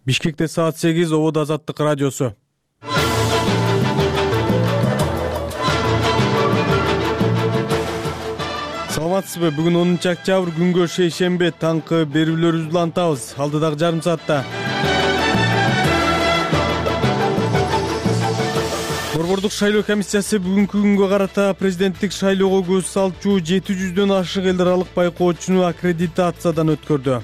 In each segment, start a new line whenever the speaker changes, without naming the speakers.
Бишкекте саат 8, Обод Азаттык радиосу. Саламатсызбы? Бүгүн 10-октябрь күнгө шейшембе, таңкы берүүлөрүбүздү улантабыз. Алдыдагы жарым саатта Борбордук шайлоо комиссиясы бүгүнкү күнгө карата президенттик шайлоого көз салчу 700дөн ашык эл аралык байкоочуну аккредитациядан өткөрдү.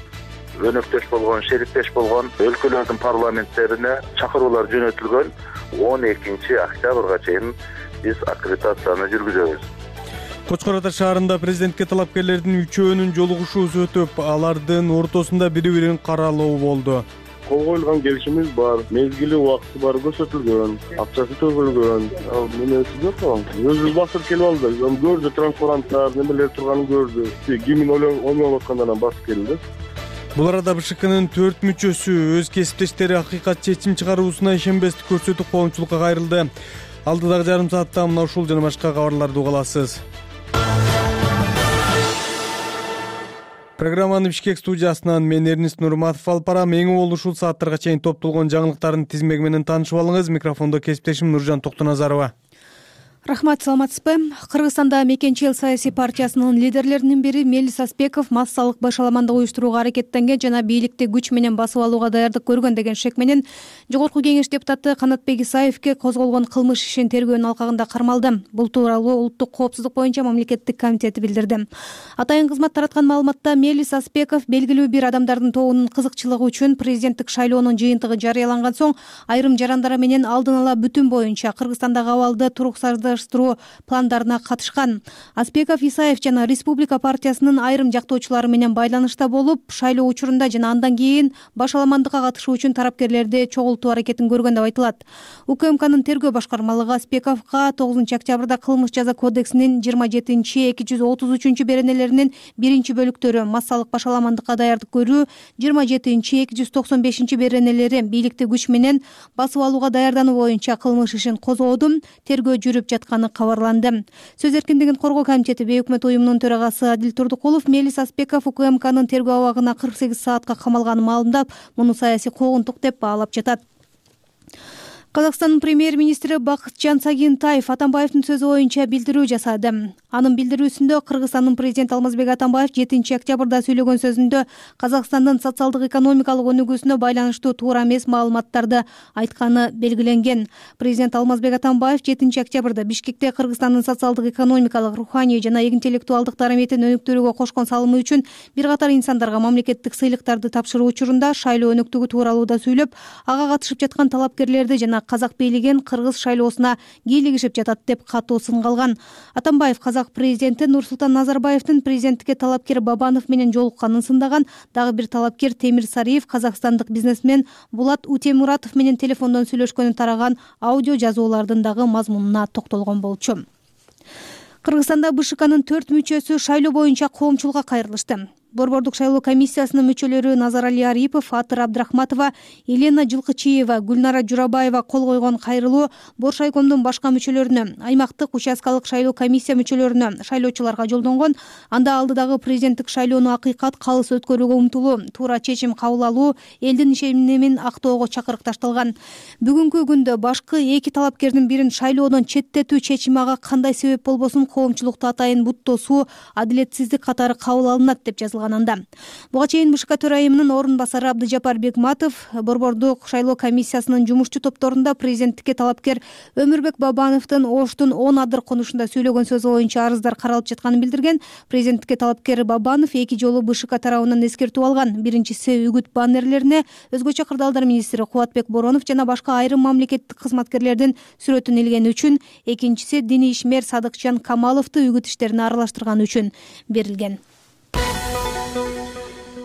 Өнөктөш болгон, шериктеш болгон өлкөлөрдүн парламенттерине чакыруулар жөнөтүлгөн. 12-октябрга чейин биз аккредитацияны жүргүзөбүз.
Кочкор Ата шаарында президентке талапкерлердин үчөөнүн жолугушуусу өтүп, алардын ортосунда бири-бирин каралоо болду.
Кол коюлган келишимиз бар, мезгили убакыты бар көрсөтүлгөн, акчасы төгүлгөн. Менеси жок ал. Өзүбүз басып келип алдык. Көрдү, транспаранттар, немелер турганын көрдү. Гимн ойнолуп аткандан басып келди.
Бул арада БШКнын 4 мүчөсү өз кесиптештери акыйкат чечим чыгаруусуна ишенбестик көрсөтүп коомчулукка кайрылды. Алдыдагы жарым саатта мына ушул жана башка кабарларды уга аласыз. Программаны Бишкек студиясынан мен Эрнист Нурматов алып барам. Эң уол ушул сааттарга чейин топтолгон жаңылыктардын тизмеги менен таанышып алыңыз. Микрофондо кесиптешим Нуржан Токтоназарова.
Рахмат, саламатсызбы? Кыргызстанда Мекенчи эл саясий партиясынын лидерлеринин бири Мелис Аспеков массалык башаламандык уюштурууга аракеттенген жана бийликти күч менен басып алууга даярдык көргөн деген шек менен Жогорку Кеңеш депутаты Канатбек Исаевке козголгон кылмыш ишин тергөөнүн алкагында кармалды. Бул тууралуу Улуттук коопсуздук боюнча мамлекеттик комитети билдирди. Атайын кызмат тараткан маалыматта Мелис Аспеков белгилүү бир адамдардын тобунун кызыкчылыгы үчүн президенттик шайлоонун жыйынтыгы жарыяланган соң айрым жарандар менен алдын ала бүтүн боюнча Кыргызстандагы абалды туруксуздуу пландарына катышкан. Аспеков Исаев жана Республика партиясынын айрым жактоочулары менен байланышта болуп, шайлоо учурунда жана андан кийин башаламандыкка катышуу үчүн тарапкерлерди чогултуу аракетин көргөн деп айтылат. УКМКнын тергөө башкармалыгы Аспековго 9-октябрда кылмыш жаза кодексинин 27-233 беренелеринин 1-бөлүктөрү массалык башаламандыкка даярдык көрүү, 27-295 беренелери бийликти күч менен басып алууга даярдануу боюнча кылмыш ишин козгоодун тергөө жүрүп жатканы кабарланды. Сөз эркиндигин коргоо комитети бейөкмөт уюмунун төрагасы Адил Турдукулов Мелис Аспеков УКМКнын тергөө абагына 48 саатка камалганын маалымдап, муну саясий куугунтук деп баалап жатат. Казакстандын премьер-министри Бакытжан Сагынтаев Атамбаевдин сөзү боюнча билдирүү жасады. Анын билдирүүсүндө Кыргызстандын президенти Алмазбек Атамбаев 7-октябрда сүйлөгөн сөзүндө Казакстандын социалдык-экономикалык өнүгүүсүнө байланыштуу туура эмес маалыматтарды айтканы белгиленген. Президент Алмазбек Атамбаев 7-октябрда Бишкекте Кыргызстандын социалдык-экономикалык, руханий жана интеллектуалдык дараметин өнүктүрүүгө кошкон салымы үчүн бир катар инсандарга мамлекеттик сыйлыктарды тапшыруу учурунда шайлоо өнүктүгү тууралуу да сүйлөп, ага катышып жаткан талапкерлерди жана казак бийлигин кыргыз шайлоосуна кийлигишип жатат деп катуу сынга алган. Атамбаев казак президенти Нурсултан Назарбаевдин президенттикке талапкер Бабанов менен жолукканын сындаган. Дагы бир талапкер Темир Сариев казакстандык бизнесмен Булат Утемуратов менен телефондон сүйлөшкөнү тараган аудио жазуулардын дагы мазмунуна токтолгон болчу. Кыргызстанда БШКнын 4 мүчөсү шайлоо боюнча коомчулукка кайрылышты. Борбордук шайлоо комиссиясынын мүчөлөрү Назарали Арипов, Атыр Абдрахматова, Елена Жылкычиева, Гүлнара Журабаева кол койгон кайрылуу Боршайкомдун башка мүчөлөрүнө, аймактык участкалык шайлоо комиссия мүчөлөрүнө, шайлоочуларга жолдонгон. Анда алдыдагы президенттик шайлоону акыйкат калыс өткөрүүгө умтулуу, туура чечим кабыл алуу, элдин ишенимин актоого чакырык ташталган. Бүгүнкү күндө башкы 2 талапкердин бирин шайлоодон четтетүү чечими ага кандай себеп болбосун коомчулукту атайын буттоосу, адилетсиздик катары кабыл алынат деп жазылган. Буга чейин БШК төрайымынын орун басары Абдыжапар Бекматов борбордук шайлоо комиссиясынын жумушчу топторунда президенттикке талапкер Өмүрбек Бабановдун Оштун 10 адыр конушунда сүйлөгөн сөзү боюнча арыздар каралып жатканын билдирген. Президенттикке талапкер Бабанов 2 жолу БШК тарабынан эскертүү алган. Биринчиси үгүт баннерлерине өзгөчө кырдаалдар министри Кубатбек Боронов жана башка айрым мамлекеттик кызматкерлердин сүрөтүн илгени үчүн, экинчиси диний ишмер Садыкжан Камаловду үгүт иштерине аралаштырганы үчүн берилген.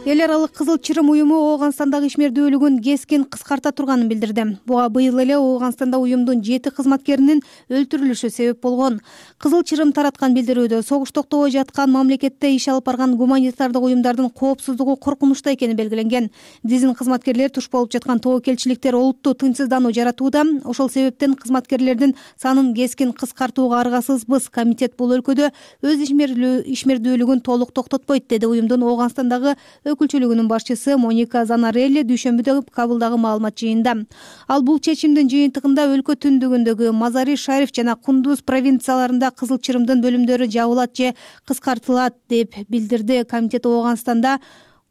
Эл аралык Кызыл Чырым уюму Ооганстандагы ишмердүүлүгүн кескин кыскарта турганын билдирди. Буга быйыл эле Ооганстанда уюмдун 7 кызматкеринин өлтүрүлүшү себеп болгон. Кызыл Чырым тараткан билдирүүдө согуш токтобой жаткан мамлекетте иш алып барган гуманитардык уюмдардын коопсуздугу коркунучта экени белгиленген. Дизин кызматкерлер туш болуп жаткан тобокелчиликтер олуттуу тынчсыздануу жаратууда. Ошол себептен кызматкерлердин санын кескин кыскартууга аргасызбыз. Комитет бул өлкөдө өз ишмердүүлүгүн толук токтотпойт, деди уюмдун Ооганстандагы өкүлчүлүгүнүн башчысы Моника Занарелли дүйшөмбүдө кабылдагы маалымат жыйынында. Ал бул чечимдин жыйынтыгында өлкө түндүгүндөгү Мазари Шариф жана Кундуз провинцияларында Кызыл Чырымдын бөлүмдөрү жабылат же кыскартылат деп билдирди. Комитет Ооганстанда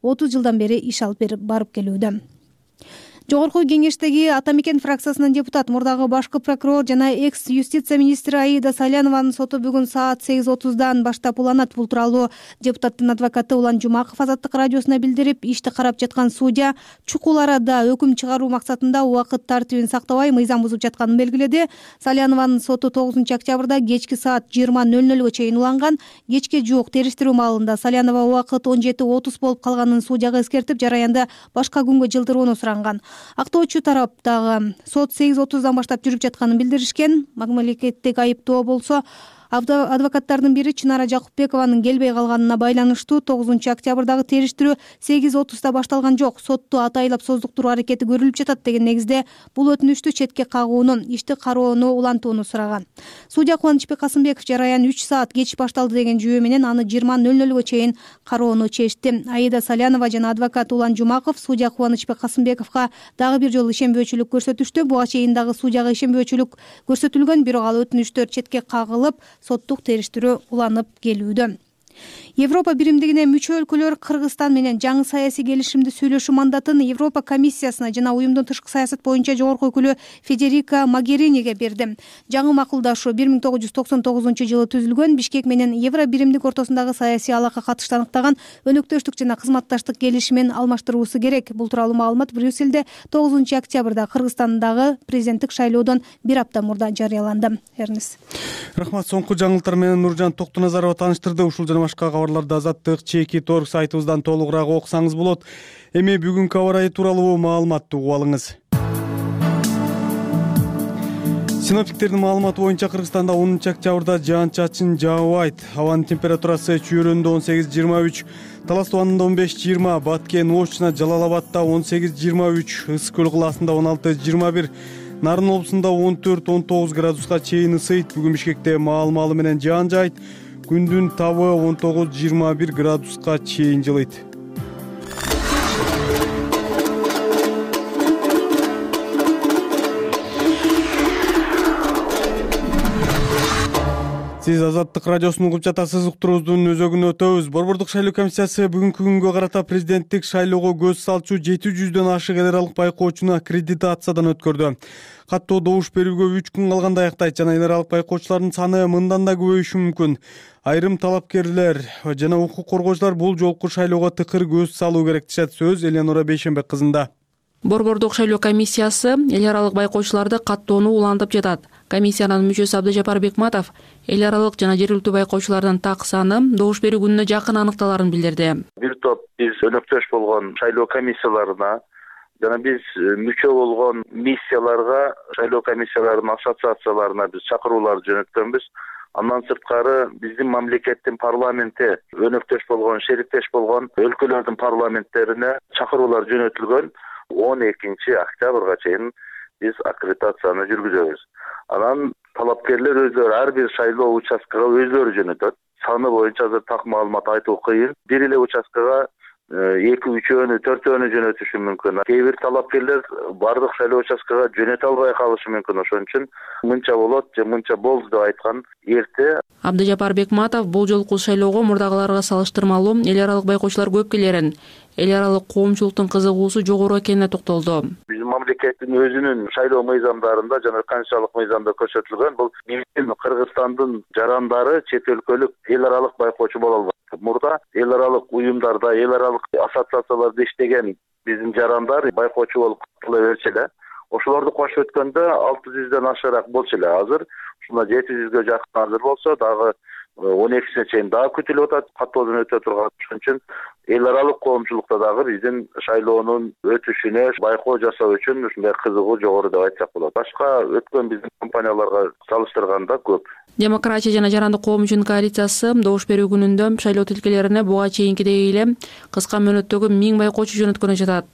30 жылдан бери иш алып барып келүүдө. Жогорку кеңештеги Ата Мекен фракциясынын депутат, мурдагы башкы прокурор жана экс юстиция министри Аида Салянованын соту бүгүн саат 8:30 баштап уланат. Бул тууралуу депутаттын адвокаты Улан Жумаков Азаттык радиосуна билдирип, ишти карап жаткан судья чукул арада өкүм чыгаруу максатында убакыт тартибин сактабай мыйзам бузуп жатканын белгиледи. Салянованын соту 9-октябрда кечки саат 20:00 чейин уланган. Кечке жуук териштирүү маалында Салянова убакыт 17:30 болуп калганын судьяга эскертип, жараянды башка күнгө жылдырууну суранган. Актоочу тараптагы сот 8:30 баштап жүрүп жатканын билдиришкен. Мамлекеттик айыптоо болсо адвокаттардын бири Чынара Жакупбекованын келбей калганына байланыштуу 9-октябрдагы териштирүү 8:30 башталган жок. Сотту атайлап создуктуруу аракети көрүлүп жатат деген негизде бул өтүнүштү четке кагууну, ишти кароону улантууну сураган. Судья Кубанычбек Касымбеков жараян 3 саат кеч башталды деген жүйө менен аны 20:00 чейин кароону чечти. Аида Салянова жана адвокат Улан Жумаков судья Кубанычбек Касымбековго дагы бир жолу ишенбөөчүлүк көрсөтүштү. Буга чейин дагы судьяга ишенбөөчүлүк көрсөтүлгөн, бирок ал өтүнүштөр четке кагылып, соттук териштирүү уланып келүүдө. Европа биримдигине мүчө өлкөлөр Кыргызстан менен жаңы саясий келишимди сүйлөшүү мандатын Европа комиссиясына жана уюмдун тышкы саясат боюнча жогорку өкүлү Федерика Могериниге берди. Жаңы макулдашуу 1999-жылы түзүлгөн Бишкек менен Евро биримдик ортосундагы саясий алака катышты аныктаган өнөктөштүк жана кызматташтык келишимин алмаштыруусу керек. Бул тууралуу маалымат Брюссельде 9-октябрда Кыргызстандагы президенттик шайлоодон бир апта мурда жарыяланды. Эрнис.
Рахмат. Соңку жаңылыктар менен Нуржан Токтоназарова тааныштырды. Ушул жана башка кабарларды Азаттык /Торг сайтыбыздан толугураак окусаңыз болот. Эми бүгүнкү аба ырайы тууралуу маалыматты угуп алыңыз. Синоптиктердин маалыматы боюнча Кыргызстанда 10-октябрда жаан-чачын жаабайт. Абанын температурасы Чүйөрөндө 18-23, Талас тубанында 15-20, Баткен, Ош жана Жалал-Абадта 18-23, Ысык көл кылаасында 16-21, Нарын облусунда 14-19 градуска чейин ысыйт. Бүгүн Бишкекте маал-маалы менен жаан жаайт. Күндүн табы 19-21 градуска чейин жылыйт. Сиз Азаттык радиосун угуп жатасыз. Уктуруубуздун өзөгүнө өтөбүз. Борбордук шайлоо комиссиясы бүгүнкү күнгө карата президенттик шайлоого көз салчу 700дөн ашык эл аралык байкоочуну аккредитациядан өткөрдү. Каттоо добуш берүүгө 3 күн калганда аяктайт жана эл аралык байкоочулардын саны мындан да көбөйүшү мүмкүн. Айрым талапкерлер жана укук коргоочулар бул жолку шайлоого тыкыр көз салуу керек дешет. Сөз Элеонора Бейшенбек кызында.
Борбордук шайлоо комиссиясы эл аралык байкоочуларды каттоону улантып жатат. Комиссиянын мүчөсү Абдыжапар Бекматов эл аралык жана жергиликтүү байкоочулардын так саны добуш берүү күнүнө жакын аныкталарын билдирди.
Бир топ биз өнөктөш болгон шайлоо комиссияларына жана биз мүчө болгон миссияларга, шайлоо комиссияларынын ассоциацияларына биз чакыруулар жөнөткөнбүз. Андан сырткары биздин мамлекеттин парламенти өнөктөш болгон, шериктеш болгон өлкөлөрдүн парламенттерине чакыруулар жөнөтүлгөн. 12-октябрга чейин биз аккредитацияны жүргүзөбүз. Анан талапкерлер өздөрү ар бир шайлоо участкага өздөрү жөнөтөт. Саны боюнча азыр так маалымат айтуу кыйын. Бир эле участкага 2-3-өөнү, 4-өөнү жөнөтүшү мүмкүн. Кээ бир талапкерлер бардык шайлоо участкага жөнөтө албай калышы мүмкүн. Ошон үчүн мынча болот же мынча болду деп айткан эрте.
Абдыжапар Бекматов бул жолку шайлоого мурдагыларга салыштырмалуу эл аралык байкоочулар көп келерин, эл аралык коомчулуктун кызыгуусу жогору экенине токтолду.
Биздин мамлекеттин өзүнүн шайлоо мыйзамдарында жана конституциялык мыйзамда көрсөтүлгөн бул Кыргызстандын жарандары чет өлкөлүк эл аралык байкоочу боло албайт. Мурда эл аралык уюмдарда, эл аралык ассоциацияларда иштеген биздин жарандар байкоочу болуп кала берчү эле. Ошолорду кошуп өткөндө 600дөн ашыраак болчу эле. Азыр ушунда 700гө жакын азыр болсо дагы 12-сине чейин дагы күтүлүп атат каттоодон өтө турган. Ошон үчүн эл аралык коомчулукта дагы биздин шайлоонун өтүшүнө байкоо жасоо үчүн ушундай кызыгуу жогору деп айтсак болот. Башка өткөн биздин компанияларга салыштырганда көп.
Демократия жана жарандык коом үчүн коалициясы добуш берүү күнүндө шайлоо тилкелерине буга чейинкидей эле кыска мөөнөттөгү 1000 байкоочу жөнөткөнү жатат.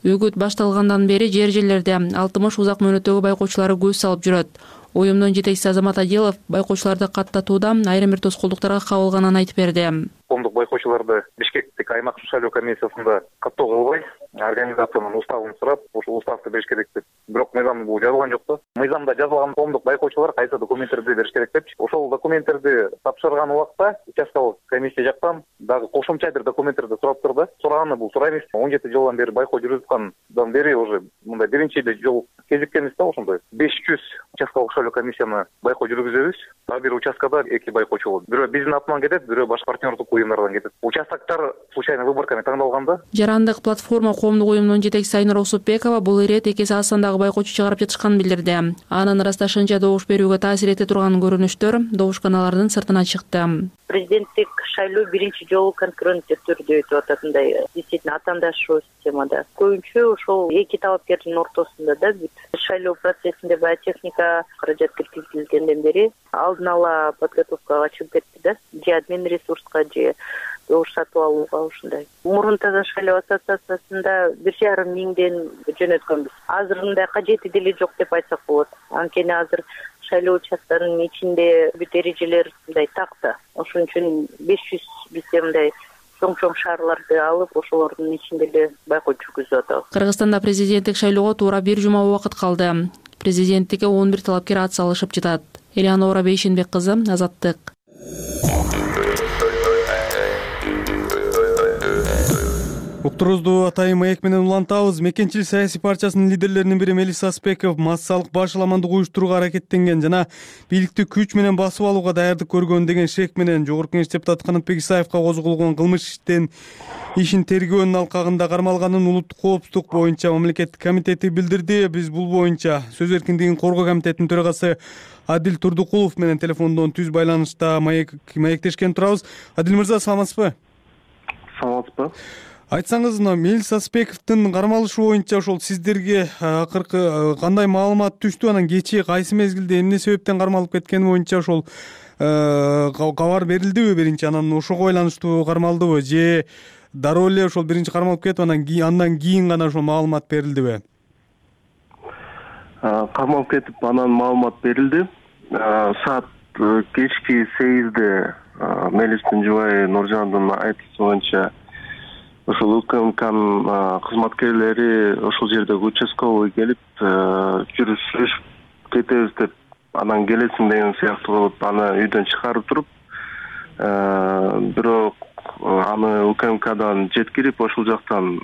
Үгүт башталгандан бери жер-жерлерде 60 узак мөөнөттөгү байкоочулары көз салып жүрөт. Уюмдун жетекчиси Азамат Адилов байкоочуларды каттатууда айрым бир тоскоолдуктарга кабылганын айтып берди.
коомдук байкоочуларды Бишкектик аймактык шайлоо комиссиясында каттоо кылбай, организациянын уставын сурап, ошол уставды бериш керек деп. Бирок мыйзамда бул жазылган жок да. Мыйзамда жазылган коомдук байкоочулар кайсы документтерди бериш керек депчи. Ошол документтерди тапшырган убакта участкалык комиссия жактан дагы кошумча бир документтерди сурап турду. Сураганы бул сурайбыз. 17 жылдан бери байкоо жүрүп аткандан бери уже мындай биринчи жол кезиккенбиз да ошондой. 500 участкалык шайлоо комиссияны байкоо жүргүзөбүз. Ар бир участкада 2 байкоочу болот. Бирөө биздин атынан кетет, бирөө башка партнердик уюмдардан кетет. Участоктор случайно выборками таңдалганда.
Жарандык платформа коомдук уюмунун жетекчиси Айнура Усупбекова бул ирет эки ай сандагы байкоочу чыгарып жатышканын билдирди. Анын ырасташынча добуш берүүгө таасир эте турган көрүнүштөр добушканалардын сыртына чыкты.
Президенттик шайлоо биринчи жолу конкуренттүү түрдө өтүп атат, мындай действительно атаандаштыруу системада. Көбүнчө ошол эки талапкердин ортосунда да бүт шайлоо процессинде баягы техника каражат киргизилгенден бери алдын ала подготовкага чыгып кетти да. Же админ ресурска, же добуш сатып алууга ушундай. Мурун Таза шайлоо ассоциациясында 1,5 миңден жөнөткөнбүз. Азыр мындай кажети деле жок деп айтсак болот. Анткени азыр шайлоо участканын ичинде бүт эрежелер мындай такты. Ошон үчүн 500 бизде мындай чоң шаарларды алып, ошолордун ичинде эле байкоо жүргүзүп атабыз.
Кыргызстанда президенттик шайлоого туура 1 жума убакыт калды. Президенттикке 11 талапкер ат салышып жатат. Элеонора Бейшенбек кызы, Азаттык.
Уктуруубузду атайын маек менен улантабыз. Мекенчил саясий партиясынын лидерлеринин бири Мелис Аспеков массалык башаламандык уюштурууга аракеттенген жана бийликти күч менен басып алууга даярдык көргөн деген шек менен Жогорку Кеңеш депутаты Канатбек Исаевка козголгон кылмыш ишин тергөөнүн алкагында кармалганын Улуттук коопсуздук боюнча мамлекеттик комитети билдирди. Биз бул боюнча Сөз эркиндигин коргоо комитетинин төрагасы Адил Турдукулов менен телефондон түз байланышта маектешкен турабыз. Адил мырза, саламатсызбы?
Саламатсызбы?
Айтсаңыз, Мелис Аспековдун кармалышы боюнча ошол сиздерге акыркы кандай маалымат түштү? Анан кечээ кайсы мезгилде эмне себептен кармалып кеткени боюнча ошол кабар берилдиби биринчи? Анан ошого байланыштуу кармалдыбы же дароо эле ошол биринчи кармалып кетип андан кийин гана ошол маалымат берилдиби?
Кармалып кетип анан маалымат берилди. Саат кечки 8-де Мелистин жубайы Нуржандын айтышы боюнча ошол УКМКнын кызматкерлери ошол жердеги участковый келип жүрүшүп кетебиз деп, анан келесиң деген сыяктуу кылып аны үйдөн чыгарып туруп, бирок аны УКМКдан жеткирип ошол жактан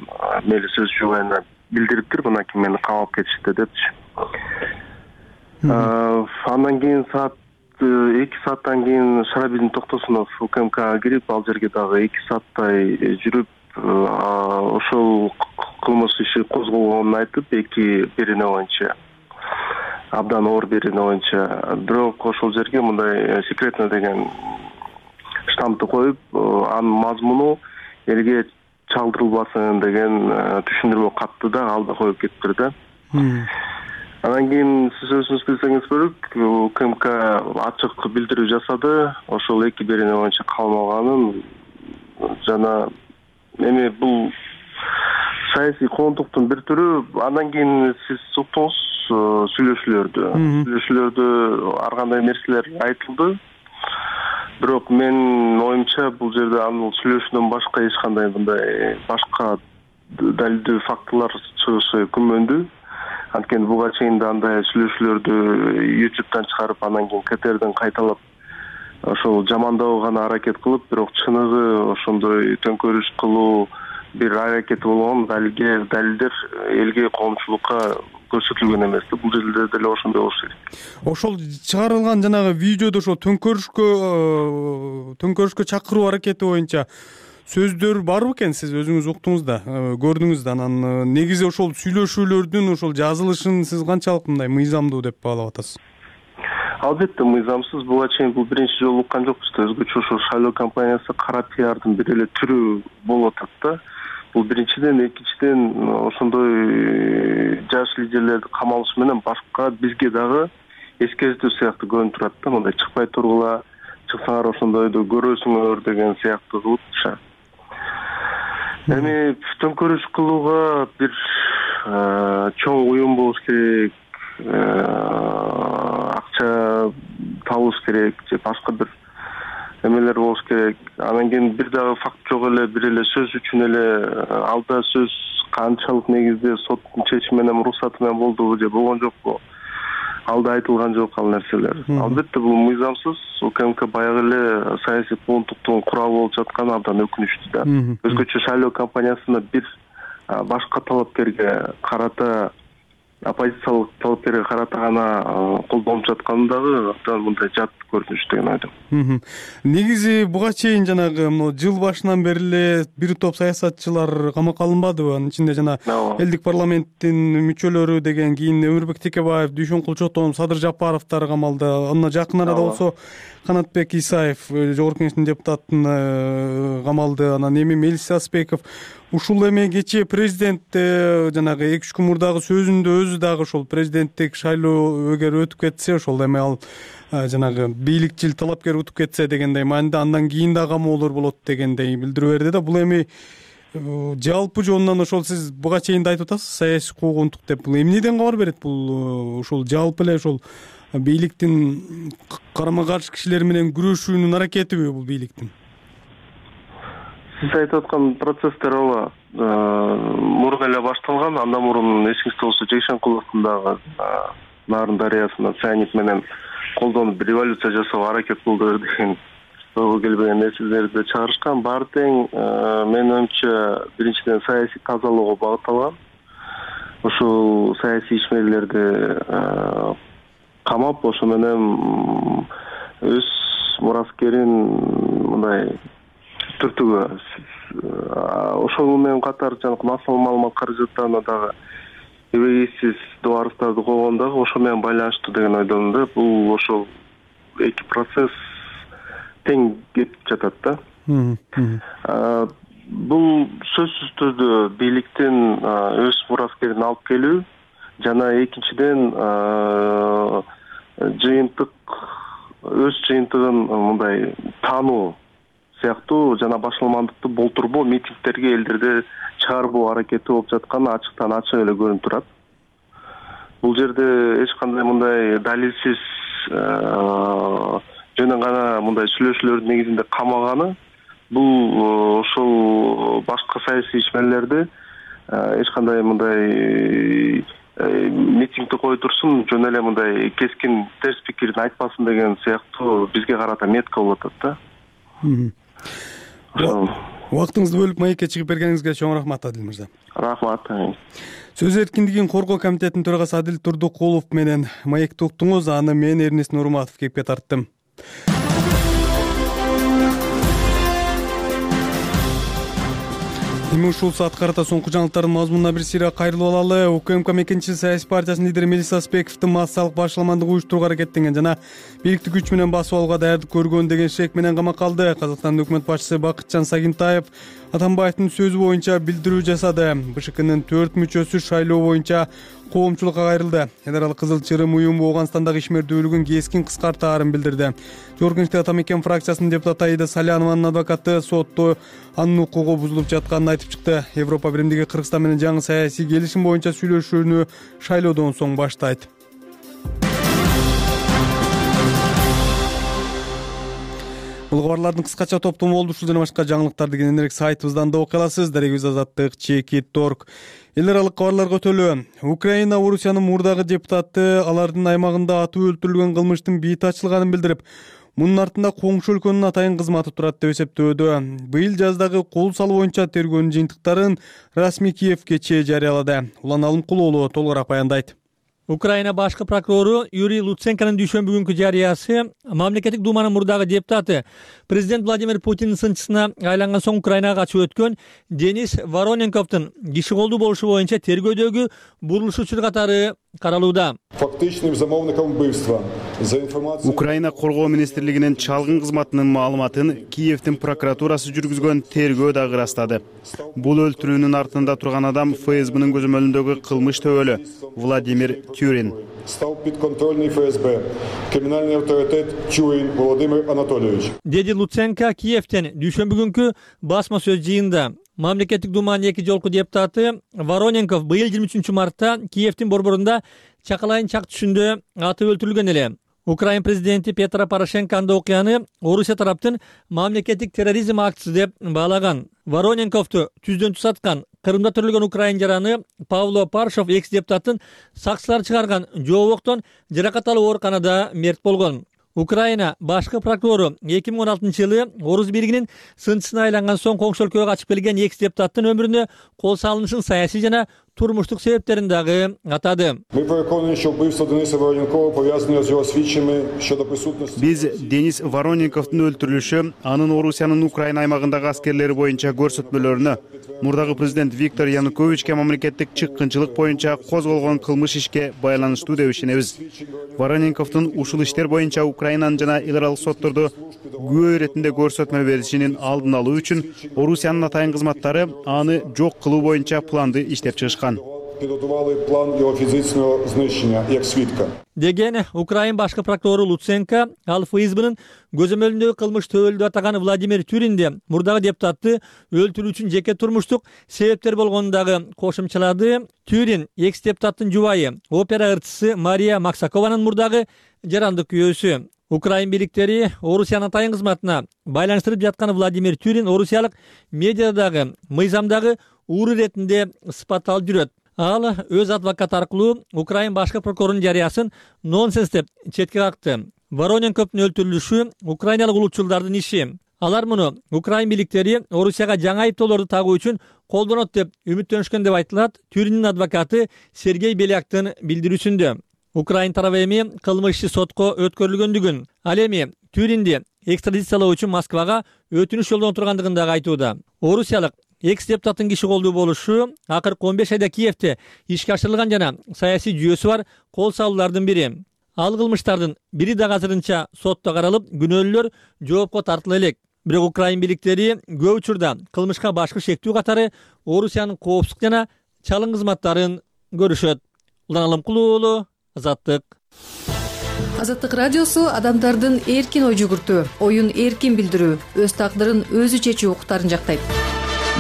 Мелис өз жубайына билдириптир, мына ким мени камап кетишти депчи. Андан кийин саат 2 сааттан кийин Шарабидин Токтосунов УКМКга кирип, ал жерге дагы 2 сааттай жүрүп, ошол кылмыш иши козголгонун айтып, бирине боюнча абдан оор бирине боюнча, бирок ошол жерге мындай секретно деген штампты коюп, анын мазмуну элге чалдырылбасын деген түшүндүрмө катты да ал да коюп кетиптир да. Андан кийин сиз өзүңүз билсеңиз керек, УКМК ачык билдирүү жасады, ошол бирине боюнча калмаганын жана эми бул саясий коомдуктун бир түрү. Андан кийин сиз уктуңуз сүйлөшүүлөрдө ар кандай нерселер айтылды. Бирок менин оюмча бул жерде анын сүйлөшүүдөн башка эч кандай мындай башка далилдүү фактылар чыгышы күмөндүү. Анткени буга чейин да андай сүйлөшүүлөрдү YouTube'дан чыгарып, андан кийин КТРден кайталап ошол жамандоого гана аракет кылып, бирок чыныгы ошондой төңкөрүш кылуу бир аракети болгон далилдер элге, коомчулукка көрсөтүлгөн эмес. Бул жерде деле ошондой болуш керек.
Ошол чыгарылган жанагы видеодо ошол төңкөрүшкө чакыруу аракети боюнча сөздөр барбы экен? Сиз өзүңүз уктуңуз да, көрдүңүз да. Анан негизи ошол сүйлөшүүлөрдүн ошол жазылышын сиз канчалык мындай мыйзамдуу деп баалап атасыз?
Албетте мыйзамсыз. Буга чейин бул биринчи жолу уккан жокпуз да. Өзгөчө ошол шайлоо компаниясы кара пиардын бир эле түрү болуп атат да. Бул биринчиден, экинчиден ошондой жаш лидерлерди камалыш менен башка бизге дагы эскертүү сыяктуу көрүнүп турат да. Мындай чыкпай тургула, чыксаңар ошондойду көрөсүңөр деген сыяктуу кылып. Эми төңкөрүш кылууга бир чоң уюм болуш керек, акча табылыш керек же башка бир эмелер болуш керек. Анан кийин бир дагы факт жок эле, бир эле сөз үчүн эле алда сөз канчалык негизде соттун чечими менен уруксаты менен болдубу же болгон жокпу? Алда айтылган жок ал нерселер. Албетте бул мыйзамсыз. УКМК баягы эле саясий куугунтуктун куралы болуп жатканы абдан өкүнүчтүү да. Өзгөчө шайлоо кампаниясында бир башка талапкерге карата, оппозициялык талапкерге карата гана колдонуп жатканы дагы абдан мындай жат көрүнүш деген ойдомун.
Негизи буга чейин жанагы жыл башынан бери эле бир топ саясатчылар камакка алынбадыбы? Анын ичинде жана элдик парламенттин мүчөлөрү деген, кийин Өмүрбек Текебаев, Дүйшөн Кулчотон, Садыр Жапаровдор камалды. Андан жакын арада болсо Канатбек Исаев, Жогорку Кеңештин депутатын камалды. Анан эми Мелис Аспеков. Ушул эми кечээ президент жанагы 2-3 күн мурдагы сөзүндө өзү дагы ошол президенттик шайлоо эгер өтүп кетсе, ошол эми ал жанагы бийликчил талапкер утуп кетсе дегендей маанидә андан кийин да камоолор болот дегендей билдирүү берди да. Бул эми жалпы жонунан ошол сиз буга чейин да айтып атасыз, саясий куугунтук деп. Бул эмнеден кабар берет? Бул ошол жалпы эле ошол бийликтин карама каршы кишилер менен күрөшүүнүн аракетиби бул бийликтин?
Сиз айтып аткан процесстер ооба мурун эле башталган. Андан мурун эсиңизде болсо Жекшенкуловдун дагы Нарын дарыясына цианид менен колдонуп бир революция жасоого аракет кылды деген ойго келбеген нерселерди чыгарышкан. Баары тең менин оюмча биринчиден саясий тазалоого багытталган. Ушул саясий ишмерлерди камап, ошо менен өз мураскерин мындай түртүүгө, ошол менен катар жанагы массалык маалымат каражаттарына дагы эбегейсиз дуарыстарды койгон дагы ошо менен байланыштуу деген ойдомун да. Бул ошол эки процесс тең кетип жатат да. Бул сөзсүз түрдө бийликтин өз мураскерин алып келүү жана экинчиден жыйынтык өз жыйынтыгын мындай таануу сыяктуу жана башаламандыкты болтурбоо, митингдерге элдерди чыгарбоо аракети болуп жатканы ачыктан ачык эле көрүнүп турат. Бул жерде эч кандай мындай далилсиз жөн гана мындай сүйлөшүүлөрдүн негизинде камаганы, бул ошол башка саясий ишмерлерди эч кандай мындай митингди кое турсун, жөн эле мындай кескин терс пикирин айтпасын деген сыяктуу бизге карата метка болуп атат да.
Убактыңызды бөлүп маекке чыгып бергениңизге чоң рахмат, Адил мырза.
Рахмат.
Сөз эркиндигин коргоо комитетинин төрагасы Адил Турдукулов менен маекти уктуңуз. Аны мен Эрнест Нурматов кепке тарттым. Эми ушул саат карата соңку жаңылыктардын мазмунуна бир сыйра кайрылып алалы. УКМК Мекенчил саясий партиясынын лидери Мелис Аспековдун массалык башаламандык уюштурууга аракеттенген жана бийликти күч менен басып алууга даярдык көргөн деген шек менен камакка алды. Казакстандын өкмөт башчысы Бакытжан Сагинтаев Атамбаевдин сөзү боюнча билдирүү жасады. БШКнын 4 мүчөсү шайлоо боюнча коомчулукка кайрылды. Эдер ал Кызыл Чырым уюму Оогандстандагы ишмердүүлүгүн кескин кыскартаарын билдирди. Жогорку Кеңештеги Атамекен фракциясынын депутаты Аида Салянованын адвокаты сотто анын укугу бузулуп жатканын айтып чыкты. Европа биримдиги Кыргызстан менен жаңы саясий келишим боюнча сүйлөшүүнү шайлоодон соң баштайт. Бул кабарлардын кыскача топтому болду. Ушул жана башка жаңылыктарды кененирээк сайтыбыздан да окуй аласыз. Дарегибиз Азаттык /.org. Эл аралык кабарларга өтөлү. Украина Орусиянын мурдагы депутаты алардын аймагында атып өлтүрүлгөн кылмыштын бийти ачылганын билдирип, мунун артында коңшу өлкөнүн атайын кызматы турат деп эсептөөдө. Быйыл жаздагы кол салуу боюнча тергөөнүн жыйынтыктарын расмий Киев кечээ жарыялады. Улан Алымкулоолу толугураак баяндайт.
Украина башкы прокурору Юрий Луценконун дүйшөмбү күнкү жарыясы мамлекеттик думанын мурдагы депутаты президент Владимир Путиндин сынчысына айланган соң Украинага качып өткөн Денис Вороненковдун киши колдуу болушу боюнча тергөөдөгү бурулушуучулар катары каралууда.
Фактичным замовником убийства за информацией
Украина коргоо министрлигинин чалгын кызматынын маалыматын Киевдин прокуратурасы жүргүзгөн тергөө дагы ырастады. Бул өлтүрүүнүн артында турган адам ФСБнын көзөмөлүндөгү кылмыш төбөлү Владимир Тюрин.
Стал подконтрольный ФСБ, криминальный авторитет Тюрин Владимир Анатольевич.
Деди Луценко Киевден дүйшөмбү күнкү басма сөз жыйында. Мамлекеттик думанын 2 жолку депутаты Вороненков быйыл 23 мартта Киевдин борборунда Чакалайын чак түшүндө атып өлтүрүлгөн эле. Украин президенти Петро Порошенко анда окуяны Орусия тараптын мамлекеттик терроризм актысы деп баалаган. Вороненковду түздөн түз аткан Кырымда төрөлгөн украин жараны Павло Паршов экс-депутаттын сакчылар чыгарган жообоктон жаракат алып ооруканада мерт болгон. Украина башкы прокурору 2016-жылы Орус биригинин сынчысына айланган соң коңшу өлкөгө качып келген экс-депутаттын өмүрүнө кол салынышын саясий жана турмуштук себептерин дагы атады.
Биз Денис Вороненковдун өлтүрүлүшү анын Орусиянын Украина аймагындагы аскерлери боюнча көрсөтмөлөрүнө, мурдагы президент Виктор Януковичке мамлекеттик чыккынчылык боюнча козголгон кылмыш ишке байланыштуу деп ишенебиз. Вороненковдун ушул иштер боюнча Украинанын жана эл аралык соттордо күбө иретинде көрсөтмө беришинин алдын алуу үчүн Орусиянын атайын кызматтары аны жок кылуу боюнча планды иштеп чыгышкан.
Деген Украин башкы прокурору Луценко ал ФСБнын көзөмөлүндөгү кылмыш төбөлдү атаган Владимир Тюринде мурдагы депутатты өлтүрүү үчүн жеке турмуштук себептер болгонун дагы кошумчалады. Тюрин экс-депутаттын жубайы, опера ырчысы Мария Максакованын мурдагы жарандык күйөөсү. Украин бийликтери Орусиянын атайын кызматына байланыштырып жаткан Владимир Тюрин орусиялык медиадагы мыйзамдагы уур иретинде сыпатталып жүрөт. Ал өз адвокаты аркылуу Украин башкы прокурорунун жарыясын нонсенс деп четке какты. Вороненковдун өлтүрүлүшү украиналык улутчулдардын иши. Алар муну Украин бийликтери Орусияга жаңы айыптоолорду тагуу үчүн колдонот деп үмүттөнүшкөн деп айтылат Тюриндин адвокаты Сергей Беляктын билдирүүсүндө. Украин тарабы эми кылмыш иши сотко өткөрүлгөндүгүн, ал эми Тюринди экстрадициялоо үчүн Москвага өтүнүш жолдон тургандыгын дагы айтууда. Орусиялык экс-депутаттын киши колдуу болушу акыркы 15 айда Киевде ишке ашырылган жана саясий жүйөсү бар кол салуулардын бири. Ал кылмыштардын бири дагы азырынча сотто каралып, күнөөлүүлөр жоопко тартыла элек. Бирок Украин бийликтери көп учурда кылмышка башкы шектүү катары Орусиянын коопсуздук жана чалым кызматтарын көрүшөт. Улан Алымкулуу уулу, Азаттык.
Азаттык радиосу адамдардын эркин ой жүгүртүү, оюн эркин билдирүү, өз тагдырын өзү чечүү укуктарын жактайт.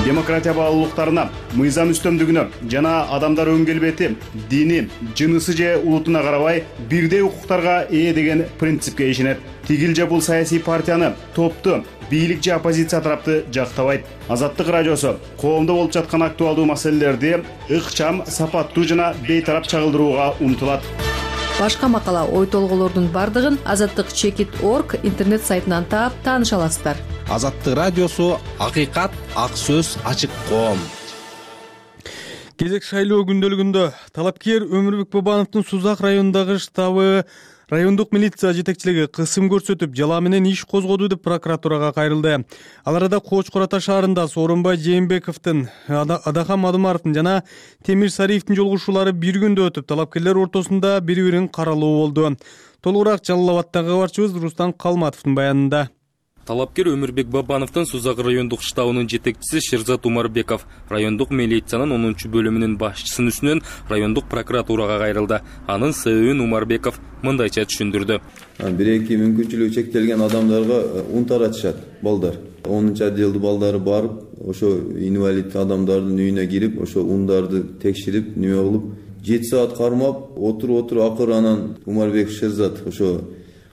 Демократия баалуулуктарына, мыйзам үстөмдүгүнө жана адамдар өң келбети, дини, жынысы же улутуна карабай бирдей укуктарга ээ деген принципке ишенет. Тигил же бул саясий партияны, топту, бийлик же оппозиция тарапты жактабайт. Азаттык радиосу коомдо болуп жаткан актуалдуу маселелерди ыкчам, сапаттуу жана бейтарап чагылдырууга умтулат.
Башка макала, ой толголордун бардыгын azattik.org интернет сайтынан таап тааныша аласыздар.
Азаттык радиосу акыйкат, ак сөз, ачык коом.
Кезек шайлоо күндөлүгүндө талапкер Өмүрбек Бабановдун Сузак районундагы штабы райондук милиция жетекчилиги кысым көрсөтүп, жала менен иш козгоду деп прокуратурага кайрылды. Ал арада Кочкор Ата шаарында Сооронбай Жээнбековдун, Адахам Адымаровдун жана Темир Сариевдин жолугушуулары бир күндө өтүп, талапкерлер ортосунда бири-бирин каралуу болду. Толугураак Жалал Абадтагы кабарчыбыз Рустам Калматовдун баянында.
Талапкер Өмүрбек Бабановдун Сузак райондук штабынын жетекчиси Шерзат Умарбеков райондук милициянын 10-бөлүмүнүн башчысынын үстүнөн райондук прокуратурага кайрылды. Анын себебин Умарбеков мындайча түшүндүрдү.
Бир-эки мүмкүнчүлүгү чектелген адамдарга ун таратышат балдар. 10-отделдин балдары барып, ошо инвалид адамдардын үйүнө кирип, ошо ундарды текширип, неме кылып, 7 саат кармап, отуруп акыры анан Умарбеков Шерзат ошо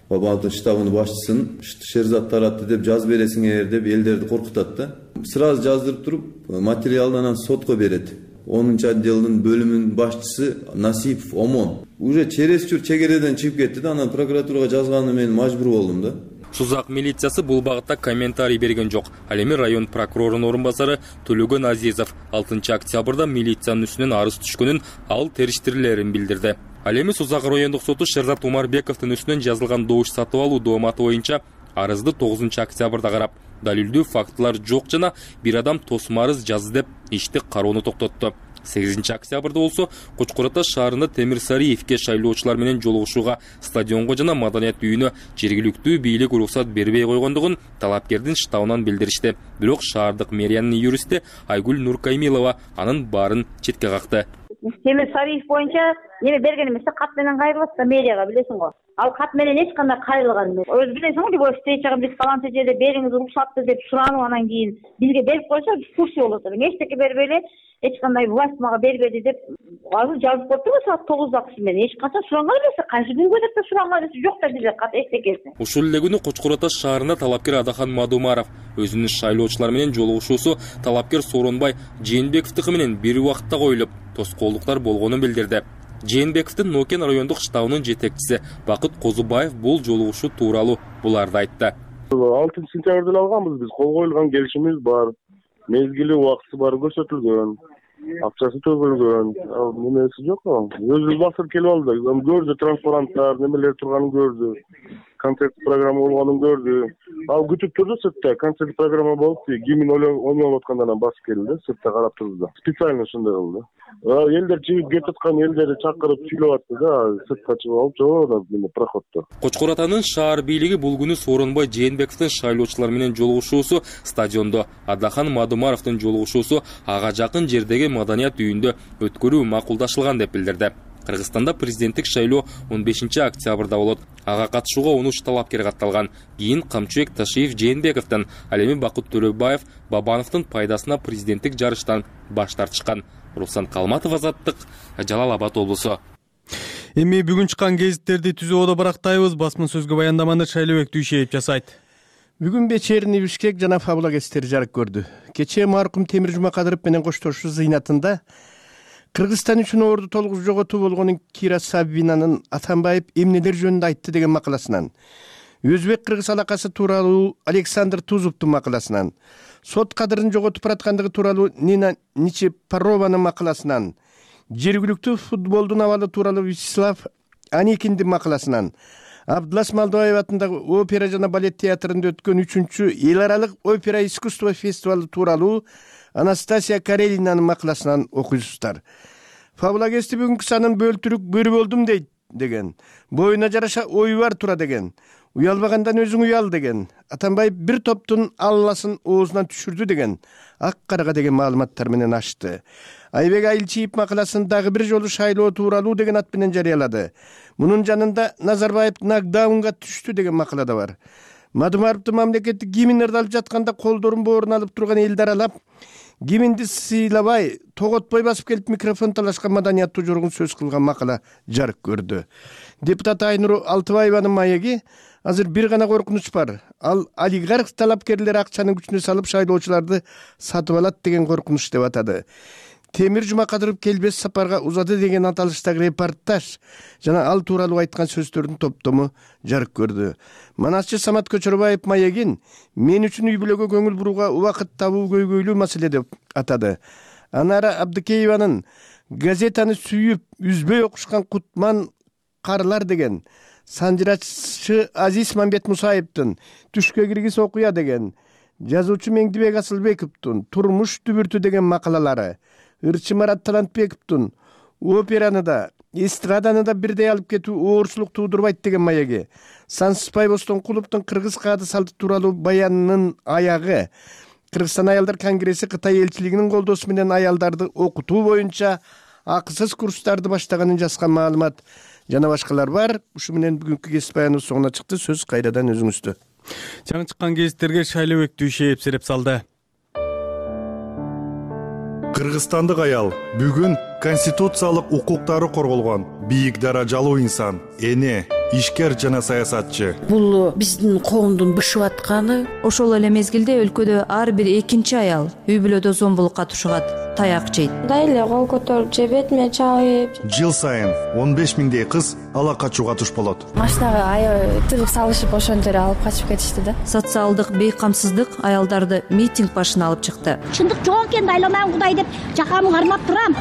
Бабановдун штабынын башчысын Шерзат таратты деп жазып бересиңер деп элдерди коркутат да. Сразу жаздырып туруп, материалды анан сотко берет. 10-отделдин бөлүмүнүн башчысы Насипов Омон. Уже чересчур чегереден чыгып кетти да, анан прокуратурага жазганы мен мажбур болдум да.
Сузак милициясы бул багытта комментарий берген жок. Ал эми район прокурорунун орун басары Төлөгөн Азизов 6 октябрда милициянын үстүнөн арыз түшкөнүн, ал териштирилерин билдирди. Ал эми Сузак райондук соту Шерзат Умарбековдун үстүнөн жазылган добуш сатып алуу дооматы боюнча арызды 9 октябрда карап, далилдүү фактылар жок жана бир адам тосма арыз жазды деп ишти кароону токтотту. 8 октябрда болсо Кочкор Ата шаарында Темир Сариевке шайлоочулар менен жолугушууга стадионго жана маданият үйүнө жергиликтүү бийлик уруксат бербей койгондугун талапкердин штабынан билдиришти. Бирок шаардык мэриянын юристи Айгүл Нуркаймилова анын баарын четке какты.
Темир Сариев боюнча эме берген эмес, кат менен кайрылат да мэрияга, билесиң го. ал кат менен эч кандай кайрылган эмес. Өзү билесиңби, любой встречага биз фаланча жерде бериңиз уруксатты деп суранып анан кийин бизге берип койсо курсы болот эле. Эчтеке бербей эле эч кандай власть мага бербеди деп азыр жазып коюптур саат 9-да менен. Эч качан суранган эмес. Кайсы күнгө деп суранган эмес. Жок да бизде кат эчтекеси.
Ушул эле күнү Кочкор Ата шаарында талапкер Адахан Мадумаров өзүнүн шайлоочулар менен жолугушуусу талапкер Сооронбай Жээнбековдуку менен бир убакытта коюлуп, тоскоолдуктар болгонун билдирди. Жээнбековдун Нокен райондук штабынын жетекчиси Бакыт Козубаев бул жолугушуу тууралуу буларды айтты.
6-сентябрда алганбыз биз, кол коюлган келишимиз бар, мезгили убактысы бар көрсөтүлгөн, акчасы төгүлгөн. Немеси жок. Өзүбүз басып келип алдык. Көрдү, транспаранттар, немелер турганын көрдү. Концерт программа болгонун көрдү. Ал күтүп турду сыртта. Концерт программа болуп, гимн ойноп аткандан басып келди, сыртта карап турду. Специально ушундай кылды. Элдер чыгып кетип аткан элдерди чакырып сүйлөп атты да, сыртка чыгып алып жоо проходдо.
Кочкор Атанын шаар бийлиги бул күнү Сооронбай Жээнбековдун шайлоочулар менен жолугушуусу стадиондо, Адахан Мадумаровдун жолугушуусу ага жакын жердеги маданият үйүндө өткөрүү макулдашылган деп билдирди. Кыргызстанда президенттик шайлоо 15-октябрда болот. Ага катышууга 13 талапкер катталган. Кийин Камчыбек Ташиев Жээнбековдон, ал эми Бакыт Төрөбаев Бабановдун пайдасына президенттик жарыштан баш тартышкан. Руслан Калматов, Азаттык, Жалал Абад облусу.
Эми бүгүн чыккан гезиттерди түзүүгө барактайбыз. Басма сөзгө баяндаманы Шайлообек Дүйшеев жасайт.
Бүгүн Вечерний Бишкек жана Фабула гезиттери жарык көрдү. Кечээ маркум Темир Жумакадыров менен коштошуу зыйнатында Кыргызстан үчүн орду толугу жоготуу болгонун Кира Сабинанын Атамбаев эмнелер жөнүндө айтты деген макаласынан, Өзбек-кыргыз алакасы тууралуу Александр Тузовдун макаласынан, сот кадырын жоготуп бараткандыгы тууралуу Нина Ничепарованын макаласынан, жергиликтүү футболдун абалы тууралуу Вячеслав Аникиндин макаласынан, Абдулас Малдыбаев атындагы опера жана балет театрында өткөн 3-чү эл аралык опера искусство фестивалы тууралуу Анастасия Карелинанын макаласынан окуйсуздар. Фабула гезити бүгүнкү санын бөлтүрүк бөрү болдум дейт деген. Боюна жараша ой бар тура деген. Уялбагандан өзүң уял деген. Атамбаев бир топтун алласын оозунан түшүрдү деген. Ак карага деген маалыматтар менен ачты. Айбек Айылчиев макаласын дагы бир жолу шайлоо тууралуу деген ат менен жарыялады. Мунун жанында Назарбаев нокдаунга түштү деген макала да бар. Мадумаровдун мамлекеттик гимн ырдалып жатканда колдорун боорун алып турган элди аралап, гимнди сыйлабай, тоготпой басып келип микрофон талашкан маданияттуу жоргун сөз кылган макала жарык көрдү. Депутат Айнур Алтыбаеванын маеги азыр бир гана коркунуч бар. Ал олигарх талапкерлер акчанын күчүнө салып шайлоочуларды сатып алат деген коркунуч деп атады. Темир Жумакадыров келбес сапарга узады деген аталыштагы репортаж жана ал тууралуу айткан сөздөрдүн топтому жарык көрдү. Манасчы Самат Көчөрбаев маегин мен үчүн үй бүлөгө көңүл бурууга убакыт табуу көйгөйлүү маселе деп атады. Анара Абдыкееванын газетаны сүйүп, үзбөй окушкан кутман карлар деген, санжырачы Азиз Мамбет Мусаевдин түшкө киргиз окуя деген, жазуучу Меңдибек Асылбековдун турмуш дүбүртү деген макалалары, Ырчы Марат Талантбековдун операны да, эстраданы да бирдей алып кетүү оорчулук туудурбайт деген маеги, Сансызбай Бостонкуловдун кыргыз каады салты тууралуу баянынын аягы, Кыргызстан аялдар конгресси Кытай элчилигинин колдоосу менен аялдарды окутуу боюнча акысыз курстарды баштаганын жазган маалымат жана башкалар бар. Ушу менен бүгүнкү гезит баяныбыз соңуна чыкты. Сөз кайрадан өзүңүздө.
Жаңы чыккан гезиттерге Шайлообек Дүйшеев сереп салды.
Кыргызстандык аял бүгүн конституциялык укуктары корголгон бийик даражалуу инсан, эне, ишкер жана саясатчы.
Бул биздин коомдун бышып атканы.
Ошол эле мезгилде өлкөдө ар бир экинчи аял үй бүлөдө зомбулукка тушугат, таяк жейт.
Дайле кол көтөрүп же бетиме чабып.
Жыл сайын 15 миңдей кыз ала качууга туш болот.
Машинага аябай тыгып салышып ошентип алып качып кетишти да.
Социалдык бейкамсыздык аялдарды митинг башына алып чыкты.
Чындык жок экен, айланам Кудай деп жакамды кармап турам.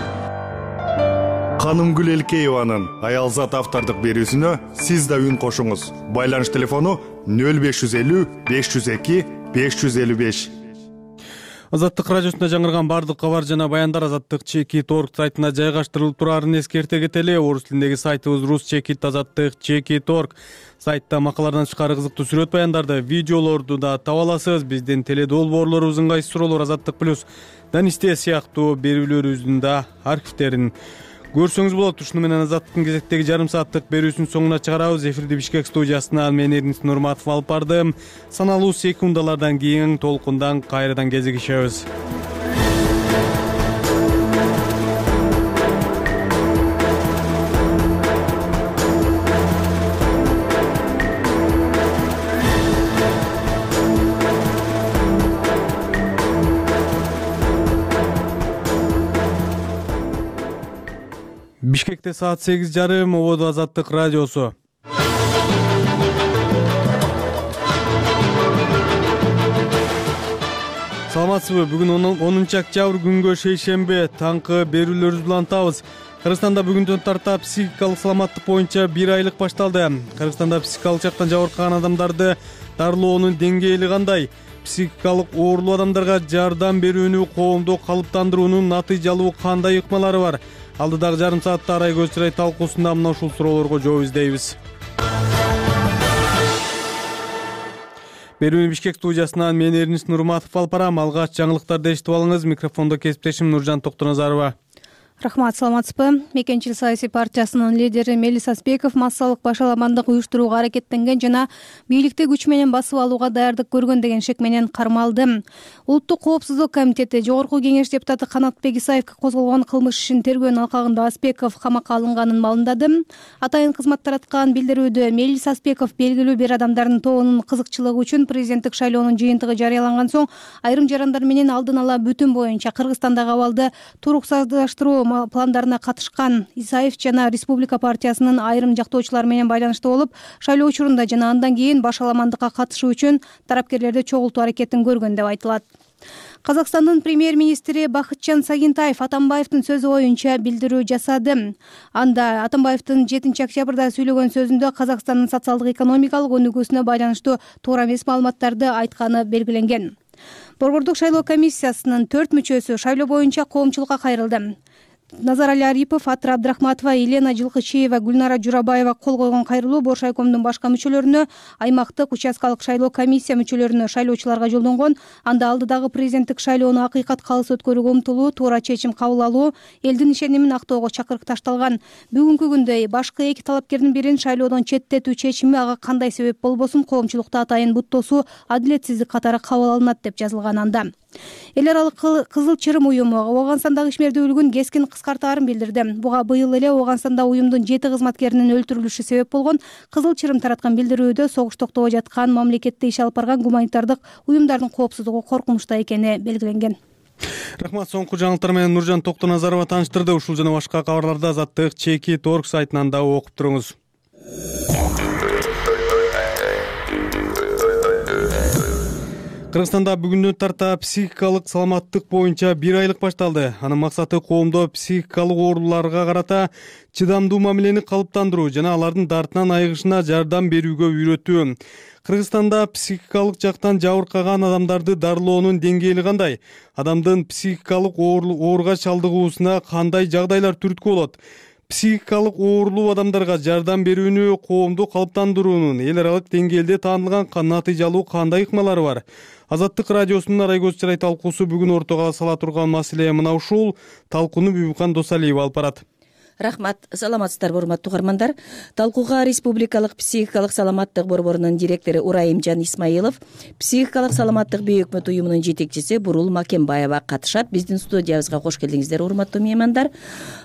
Канымгүл Элкееванын аялзат автордук берүүсүнө сиз да үн кошуңуз. Байланыш телефону 0550 502 555.
Азаттык радиосунда жаңырган бардык кабар жана баяндар Азаттык Чекит орг сайтына жайгаштырылып турарын эскерте кетели. Орус тилиндеги сайтыбыз Рус Чекит Азаттык Чекит орг. Сайтта макалалардан тышкары кызыктуу сүрөт баяндарды, видеолорду да таба аласыз. Биздин теледолбоорлорубуздун кайсы суроолор Азаттык плюс Данисте сыяктуу берүүлөрүбүздүн да архивтерин көрсөңүз болот. Ушуну менен Азаттыктын кезектеги жарым сааттык берүүсүнүн соңуна чыгарабыз. Эфирди Бишкек студиясынан мен Эрнис Нурматов алып бардым. Саналуу секундалардан кийин толкундан кайрадан кезигишебиз. Бишкекте саат 8:30, ободо Азаттык радиосу. Саламатсызбы? Бүгүн 10 октябрь күнгө шейшембе таңкы берүүлөрүбүз менен антабыз. Кыргызстанда бүгүндөн тарта психикалык саламаттык боюнча 1 айлык башталды. Кыргызстанда психикалык жактан жабыркаган адамдарды дарылоонун деңгээли кандай? Психикалык оорулуу адамдарга жардам берүүнү коомдо калыптандыруунун натыйжалуу кандай ыкмалары бар? Алдыдагы жарым саатта Арай көз чырай талкуусунда мына ушул суроолорго жооп издейбиз. Берүүнү Бишкек студиясынан мен Эрнис Нурматов алып барам. Алгач жаңылыктарды эшитип алыңыз. Микрофондо кесиптешим Нуржан Токтоназарова.
Рахмат, саламатсызбы? Мекенчил саясий партиясынын лидери Мелис Аспеков массалык башаламандык уюштурууга аракеттенген жана бийликти күч менен басып алууга даярдык көргөн деген шек менен кармалды. Улуттук коопсуздук комитети Жогорку кеңеш депутаты Канатбек Исаевге козголгон кылмыш ишин тергөөнүн алкагында Аспеков камакка алынганын маалымдады. Атайын кызмат тараткан билдирүүдө Мелис Аспеков белгилүү бир адамдардын тобунун кызыкчылыгы үчүн президенттик шайлоонун жыйынтыгы жарыяланган соң айрым жарандар менен алдын ала бүтүн боюнча Кыргызстандагы абалды туруксаздыштыруу пландарына катышкан. Исаев жана Республика партиясынын айрым жактоочулары менен байланышта болуп, шайлоо учурунда жана андан кийин башаламандыкка катышуу үчүн тарапкерлерди чогултуу аракетин көргөн деп айтылат. Казакстандын премьер-министри Бакытжан Сагинтаев Атамбаевдин сөзү боюнча билдирүү жасады. Анда Атамбаевдин 7 октябрда сүйлөгөн сөзүндө Казакстандын социалдык экономикалык өнүгүүсүнө байланыштуу туура эмес маалыматтарды айтканы белгиленген. Борбордук шайлоо комиссиясынын 4 мүчөсү шайлоо боюнча коомчулукка кайрылды. Назарали Арипов, Атра Абдрахматова, Елена Жылкычиева, Гүлнара Журабаева кол койгон кайрылуу Боршайкомдун башка мүчөлөрүнө, аймактык участкалык шайлоо комиссия мүчөлөрүнө, шайлоочуларга жолдонгон. Анда алдыдагы президенттик шайлоону акыйкат калыс өткөрүүгө умтулуу, туура чечим кабыл алуу, элдин ишенимин актоого чакырык ташталган. Бүгүнкү күндө башкы эки талапкердин бирин шайлоодон четтетүү чечими ага кандай себеп болбосун коомчулукта атайын буттосуу, адилетсиздик катары кабыл алынат деп жазылган анда. Эл аралык Кызыл Чырым уюму Ооганстандагы ишмердүүлүгүн кескин кыскартаарын билдирди. Буга быйыл эле Ооганстанда уюмдун 7 кызматкеринин өлтүрүлүшү себеп болгон. Кызыл Чырым тараткан билдирүүдө согуш токтобой жаткан мамлекетте иш алып барган гуманитардык уюмдардын коопсуздугу коркунучта экени белгиленген.
Рахмат, соңку жаңылыктар менен Нуржан Токтоназарова тааныштырды. Ушул жана башка кабарларды Азаттык Чеки.org сайтынан да окуп туруңуз. Кыргызстанда бүгүндөн тарта психикалык саламаттык боюнча 1 айлык башталды. Анын максаты коомдо психикалык ооруларга карата чыдамдуу мамилени калыптандыруу жана алардын дартынан айыгышына жардам берүүгө үйрөтүү. Кыргызстанда психикалык жактан жабыркаган адамдарды дарылоонун деңгээли кандай? Адамдын психикалык ооруга чалдыгуусуна кандай жагдайлар түрткү болот? Психикалык оорулуу адамдарга жардам берүүнү коомдо калыптандыруунун эл аралык деңгээлде таанылган натыйжалуу кандай ыкмалары бар? Азаттык радиосунун Арай көз чырай талкуусу бүгүн ортого сала турган маселе мына ушул. Талкууну Бүбүкан Досалиева алып барат.
Рахмат, саламатсыздарбы урматтуу угармандар. Талкууга Республикалык психикалык саламаттык борборунун директору Урайымжан Исмаилов, психикалык саламаттык бейөкмөт уюмунун жетекчиси Бурул Макенбаева катышат. Биздин студиябызга кош келдиңиздер, урматтуу меймандар.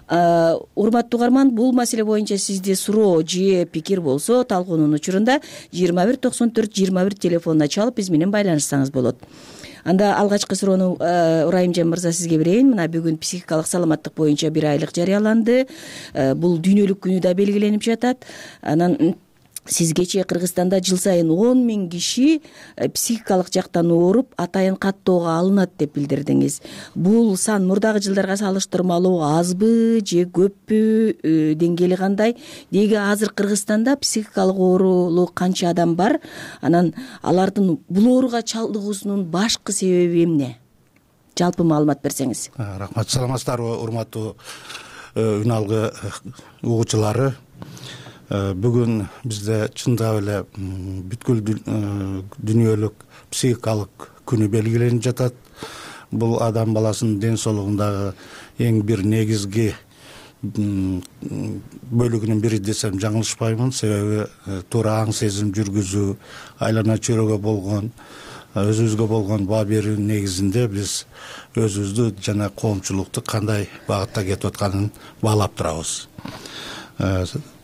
Урматтуу угарман, бул маселе боюнча сизде суроо же пикир болсо, талкуунун учурунда 21 94 21 телефонуна чалып биз менен байланышсаңыз болот. Анда алгачкы суроону Урайымжан мырза сизге берейин. Мына бүгүн психикалык саламаттык боюнча 1 айлык жарыяланды. Бул дүйнөлүк күнү да белгиленип жатат. Анан сизгече Кыргызстанда жыл сайын 10 000 киши психикалык жактан ооруп, атайын каттоого алынат деп билдирдиңиз. Бул сан мурдагы жылдарга салыштырмалуу азбы же көппү, деңгээли кандай? Деги азыр Кыргызстанда психикалык оорулуу канча адам бар? Анан алардын бул ооруга чалдыгуусунун башкы себеби эмне? Жалпы маалымат берсеңиз.
Рахмат, саламатсыздарбы урматтуу үн алгы угуучулары. Бүгүн бизде чындап эле бүткүл дүйнөлүк психикалык күнү белгиленип жатат. Бул адам баласынын ден соолугундагы эң бир негизги
бөлүгүнүн бири десем жаңылышпаймын. Себеби туура аң сезим жүргүзүү, айлана чөйрөгө болгон өзүбүзгө болгон баа берүү негизинде биз өзүбүздү жана коомчулукту кандай багытта кетип атканын баалап турабыз.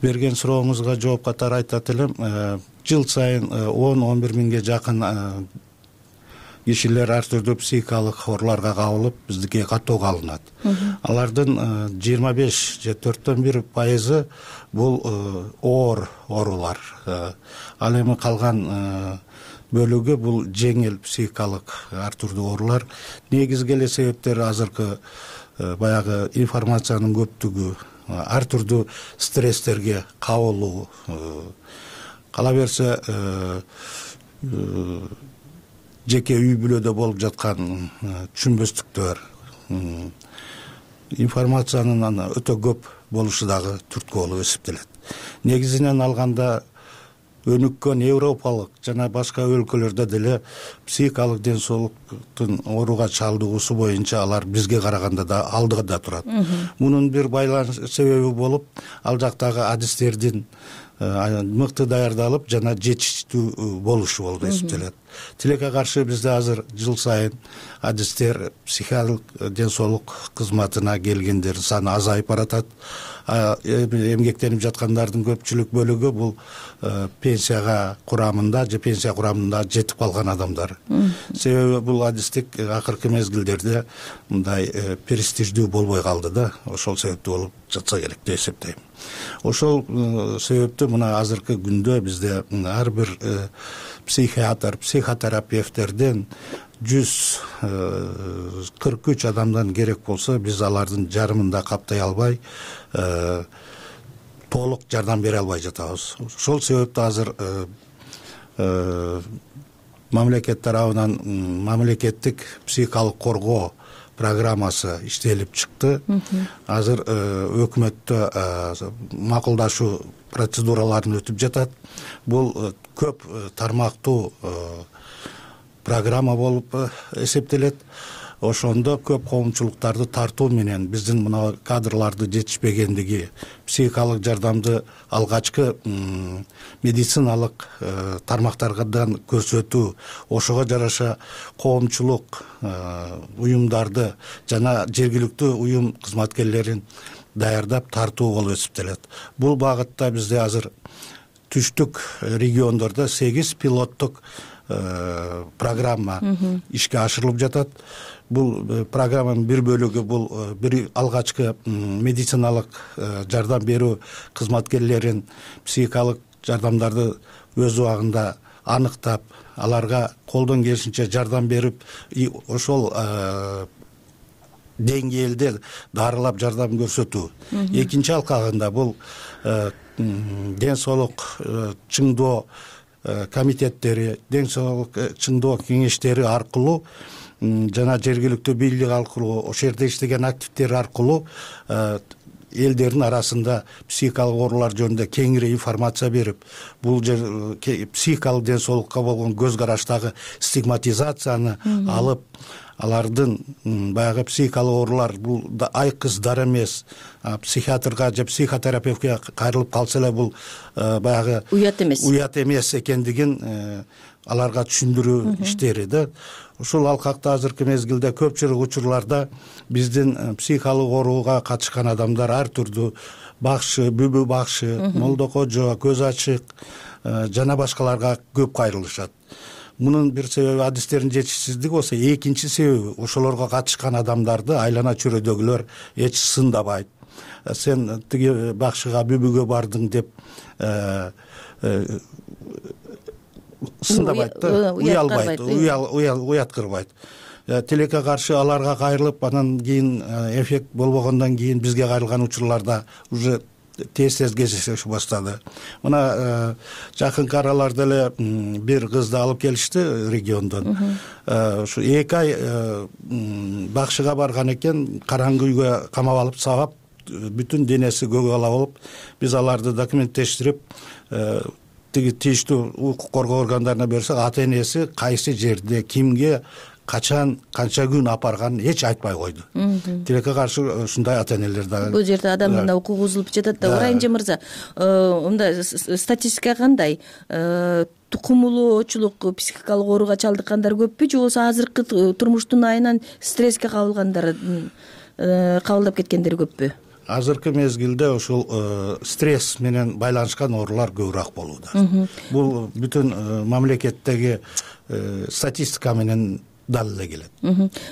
Берген сурооңузга жооп катары айтат элем, жыл сайын 10-11 миңге жакын кишилер ар түрдүү психикалык ооруларга кабылып биздикке каттоого алынат. Алардын 25-1% бул оор оорулар. Ал эми калган бөлүгү бул жеңил психикалык ар түрдүү оорулар. Негизги эле себептери азыркы баягы информациянын көптүгү, ар түрдүү стресстерге кабылуу, кала берсе жеке үй бүлөдө болуп жаткан түшүнбөстүктөр, информациянын өтө көп болушу дагы түрткү болуп эсептелет. Негизинен алганда өнүккөн европалык жана башка өлкөлөрдө деле психикалык ден соолуктун ооруга чалдыгуусу боюнча алар бизге караганда да алдыда турат. Мунун бир байланыш себеби болуп, ал жактагы адистердин мыкты даярдалып жана жетиштүү болушу болуп эсептелет. Тилекке каршы бизде азыр жыл сайын адистер психикалык ден соолук кызматына келгендердин саны азайып баратат. Эмгектенип жаткандардын көпчүлүк бөлүгү бул пенсия курамында жетип калган адамдар. Себеби бул адистик акыркы мезгилдерде мындай престиждүү болбой калды да, ошол себептүү болуп жатса керек деп эсептейм. Ошол себептүү мына азыркы күндө бизде ар бир психотерапевттерден 143 адамдан керек болсо, биз алардын жарымын да каптай албай, толук жардам бере албай жатабыз. Ошол себептүү азыр мамлекет тарабынан мамлекеттик психикалык коргоо программасы иштелип чыкты. Азыр өкмөттө макулдашуу процедураларын өтүп жатат. Бул көп тармактуу программа болуп эсептелет. Ошондо көп коомчулуктарды тартуу менен биздин мына кадрларды жетишпегендиги, психикалык жардамды алгачкы медициналык тармактардан көрсөтүү, ошого жараша коомчулук уюмдарды жана жергиликтүү уюм кызматкерлерин даярдап тартуу болуп эсептелет. Бул багытта бизде азыр түштүк региондордо 8 пилоттук программа ишке ашырылып жатат. Бул программанын бир бөлүгү бул бир алгачкы медициналык жардам берүү кызматкерлерин психикалык жардамдарды өз убагында аныктап, аларга колдон келишинче жардам берип, ошол деңгээлде дарылап жардам көрсөтүү. Экинчи алкагында бул ден соолук чыңдоо комитеттери, ден соолук чыңдоо кеңештери аркылуу жана жергиликтүү бийлик аркылуу, ошол жерде иштеген активдер аркылуу элдердин арасында психикалык оорулар жөнүндө кеңири информация берип, бул психикалык ден соолукка болгон көз караштагы стигматизацияны алып, алардын баягы психикалык оорулар бул айкыз дар эмес, психиатрга же психотерапевтке кайрылып калса эле бул баягы уят эмес экендигин аларга түшүндүрүү иштери да. Ушул алкакта азыркы мезгилде көпчүлүк учурларда биздин психикалык ооруга катышкан адамдар ар түрдүү бакшы, бүбү бакшы, молдо кожо, көз ачык жана башкаларга көп кайрылышат. Мунун бир себеби адистердин жетишсиздиги болсо, экинчи себеби ошолорго катышкан адамдарды айлана чөйрөдөгүлөр эч сындабайт. Сен тиги бакшыга, бүбүгө бардың деп сындабайт да, уялбайт, уяткырбайт. Тилекке каршы аларга кайрылып, анан кийин эффект болбогондон кийин бизге кайрылган учурларда уже тез кездеше баштады. Мына жакынкы араларда эле бир кызды алып келишти региондон. Ушу 2 ай бакшыга барган экен, караңгы үйгө камап алып, сабап, бүтүн денеси көгала болуп, биз аларды документтештирип, тиги тийиштүү укук коргоо органдарына берсек, ата энеси кайсы жерде, кимге качан канча күн алып барганын эч айтпай койду. Тилекке каршы ушундай ата энелер дагы.
Бул жерде адамдын укугу бузулуп жатат да. Урайымжан мырза, мындай статистика кандай? Тукумулуучулук, психикалык ооруга чалдыккандар көппү же болбосо азыркы турмуштун айынан стресске кабылгандары кабылдап кеткендер көппү?
Азыркы мезгилде ушул стресс менен байланышкан оорулар көбүрөөк болууда. Бул бүтүн мамлекеттеги статистика менен далилдей келет.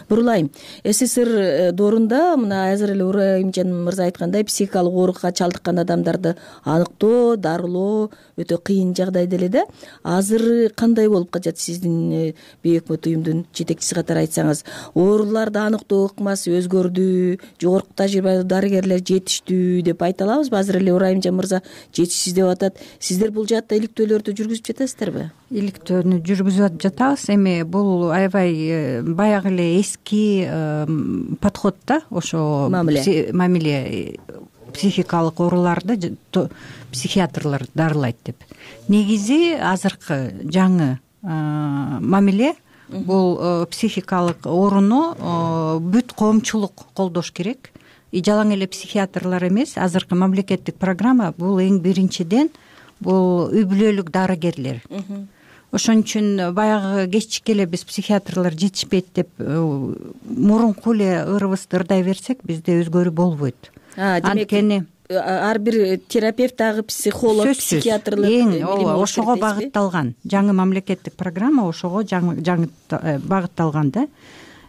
Бурулайым, СССР доорунда мына азыр эле Урайымжан мырза айткандай психикалык ооруга чалдыккан адамдарды аныктоо, дарылоо өтө кыйын жагдайда эле да. Азыр кандай болуп калат сиздин бейөкмөт уюмдун жетекчиси катары айтсаңыз? Ооруларды аныктоо ыкмасы өзгөрдү, жогорку тажрыйбалуу дарыгерлер жетиштүү деп айта алабызбы? Азыр эле Урайымжан мырза жетишсиз деп атат. Сиздер бул жаатта иликтөөлөрдү жүргүзүп жатасыздарбы?
Иликтөөнү жүргүзүп жатабыз. Эми бул аябай баягы эле эски подход да, ошо мамиле психикалык ооруларды психиатрлар дарылайт деп. Негизи азыркы жаңы мамиле бул психикалык ооруну бүт коомчулук колдош керек. Жалаң эле психиатрлар эмес, азыркы мамлекеттик программа бул эң биринчиден бул үй бүлөлүк дарыгерлер. Ошон үчүн баягы кечичке эле биз психиатрлар жетишпейт деп мурунку эле ырыбызды ырдай берсек, бизде өзгөрүү болбойт. Анткени ар бир терапевт дагы психолог, психиатрлык эң ошого багытталган. Жаңы мамлекеттик программа ошого жаңы багытталган да.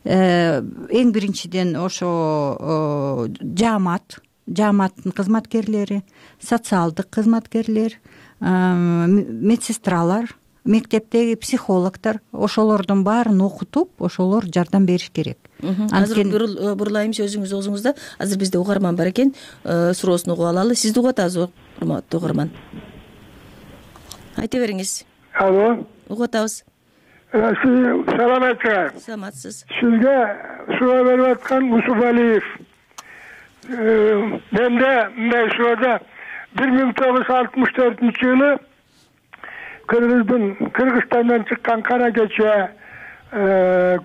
Эң биринчиден ошо жааматтын кызматкерлери, социалдык кызматкерлер, медсестралар, мектептеги психологдор, ошолордун баарын окутуп, ошолор жардам бериш керек.
Азыр бурулайым сөзүңүз оозуңузда. Азыр бизде угарман бар экен, суроосун угуп алалы. Сизди угуп атабыз, урматтуу угарман. Айта бериңиз.
Алло.
Угуп атабыз.
Саламатсызбы?
Саламатсыз.
Сизге суроо берип аткан Усубалиев. Менде мындай суроода 1964-жылы Кыргызстандан чыккан кара кече,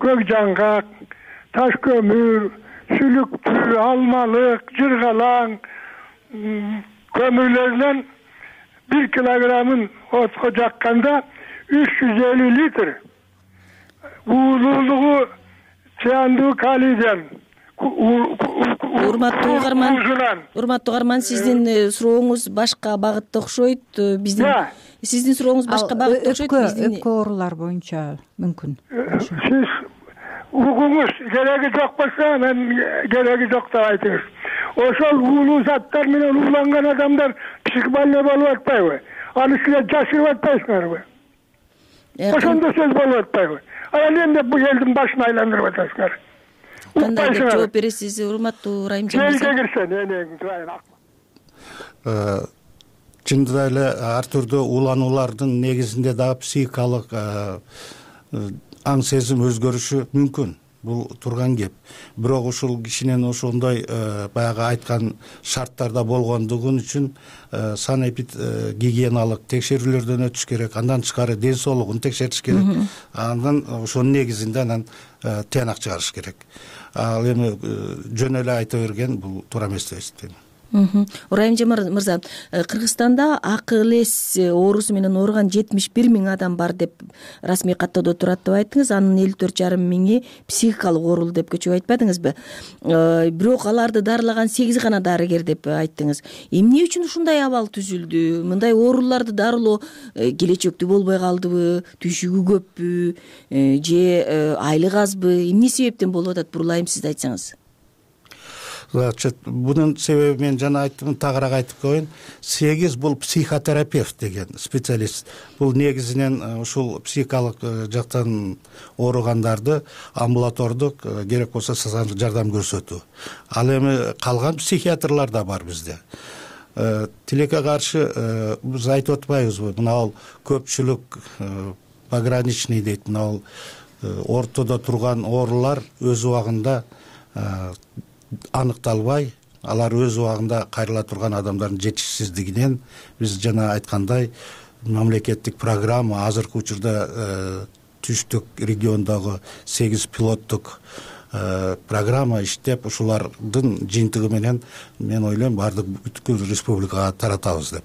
көк жаңгак, таш көмүр, сүлүктүү, алмалык, жыргалаң көмүрлөрүнөн 1 килограммын отко жакканда 350 литр уулуулугу циандуу калийден
урматтуу угарман, сиздин сурооңуз башка багытта окшойт. Сиздин сурооңуз башка багытта окшойт.
Өпкө оорулар боюнча мүмкүн.
Сиз угуңуз кереги жок болсо, мен кереги жок деп айтыңыз. Ошол уулуу заттар менен ууланган адамдар психбольной болуп атпайбы? Аны силер жашырып атпайсыңарбы? Ошондо сөз болуп атпайбы? Анан эмне бул элдин башын айландырып атасыңар?
Кандай деп жооп бересиз, урматтуу Райымжан мырза?
Чындыгында эле ар түрдүү уулануулардын негизинде дагы психикалык аң сезим өзгөрүшү мүмкүн. Бул турган кеп. Бирок ушул кишинин ошондой баягы айткан шарттарда болгондугун үчүн санэпид гигиеналык текшерүүлөрдөн өтүш керек. Андан тышкары ден соолугун текшертиш керек. Андан ошонун негизинде анан тыянак чыгарыш керек. Ал эми жөн эле айта берген бул туура эмес деп эсептейм.
Урайымжан мырза, Кыргызстанда АКЛС оорусу менен ооруган 71 000 адам бар деп расмий каттоодо турат деп айттыңыз. Анын 54,5 000 психикалык оорулуу деп көчүп айтпадыңызбы? Бирок аларды дарылаган 8 гана дарыгер деп айттыңыз. Эмне үчүн ушундай абал түзүлдү? Мындай ооруларды дарылоо келечектүү болбой калдыбы? Түшүгү көппү? Же айлык азбы? Эмне себептен болуп атат? Бурулайым, сиз айтсаңыз.
Бунун себеби мен жана айттым, тагыраак айтып коеюн. 8 бул психотерапевт деген специалист. Бул негизинен ушул психикалык жактан ооругандарды амбулатордук керек болсо социалдык жардам көрсөтүү. Ал эми калган психиатрлар да бар бизде. Тилекке каршы биз айтып атпайбызбы? Мына ал көпчүлүк пограничный дейт. Мына ал ортодо турган оорулар өз убагында аныкталбай, алар өз убагында кайрыла турган адамдардын жетишсиздигинен биз жана айткандай мамлекеттик программа азыркы учурда түштүк региондогу 8 пилоттук программа иштеп, ушулардын жыйынтыгы менен мен ойлойм баардык бүткүл республикага таратабыз деп.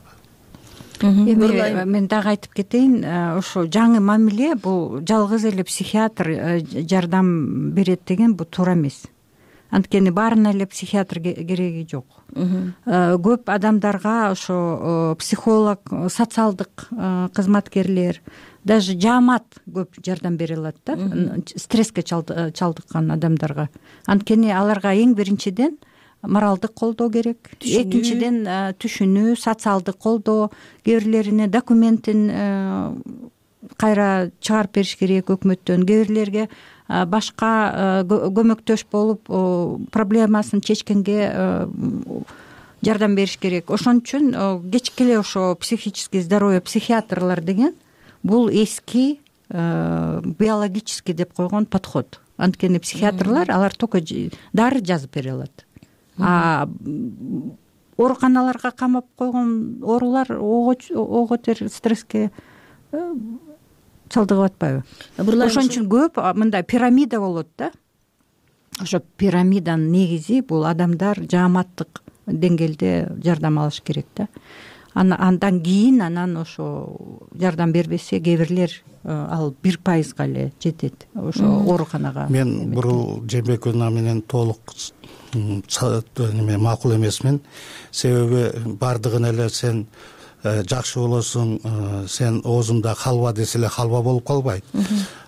Эми мен дагы айтып кетейин, ошо жаңы мамиле бул жалгыз эле психиатр жардам берет деген бул туура эмес. Анткени баарына эле психиатр кереги жок. Көп адамдарга ошо психолог, социалдык кызматкерлер, даже жаамат көп жардам бере алат да, стресске чалдыккан адамдарга. Анткени аларга эң биринчиден моралдык колдоо керек, экинчиден түшүнүү, социалдык колдоо, кээ бирлерине документин кайра чыгарып бериш керек өкмөттөн, кээ бирлерге башка көмөктөш болуп проблемасын чечкенге жардам бериш керек. Ошон үчүн кечки эле ошо психический здоровье психиатрлар деген бул эски биологический деп койгон подход. Анткени психиатрлар алар только дары жазып бере алат. Ооруканаларга камап койгон оорулар ого тер стресске чалдыгып атпайбы? Ошон үчүн көп мындай пирамида болот да. Ошо пирамиданын негизи бул адамдар жааматтык деңгээлде жардам алыш керек да. Андан кийин анан ошо жардам бербесе кээ бирлер ал 1% эле жетет ошо ооруканага.
Мен бурул Жээнбекова менен толук макул эмесмин. Себеби бардыгын эле сен жакшы болосуң, сен оозуңда халва десе эле халва болуп калбайт.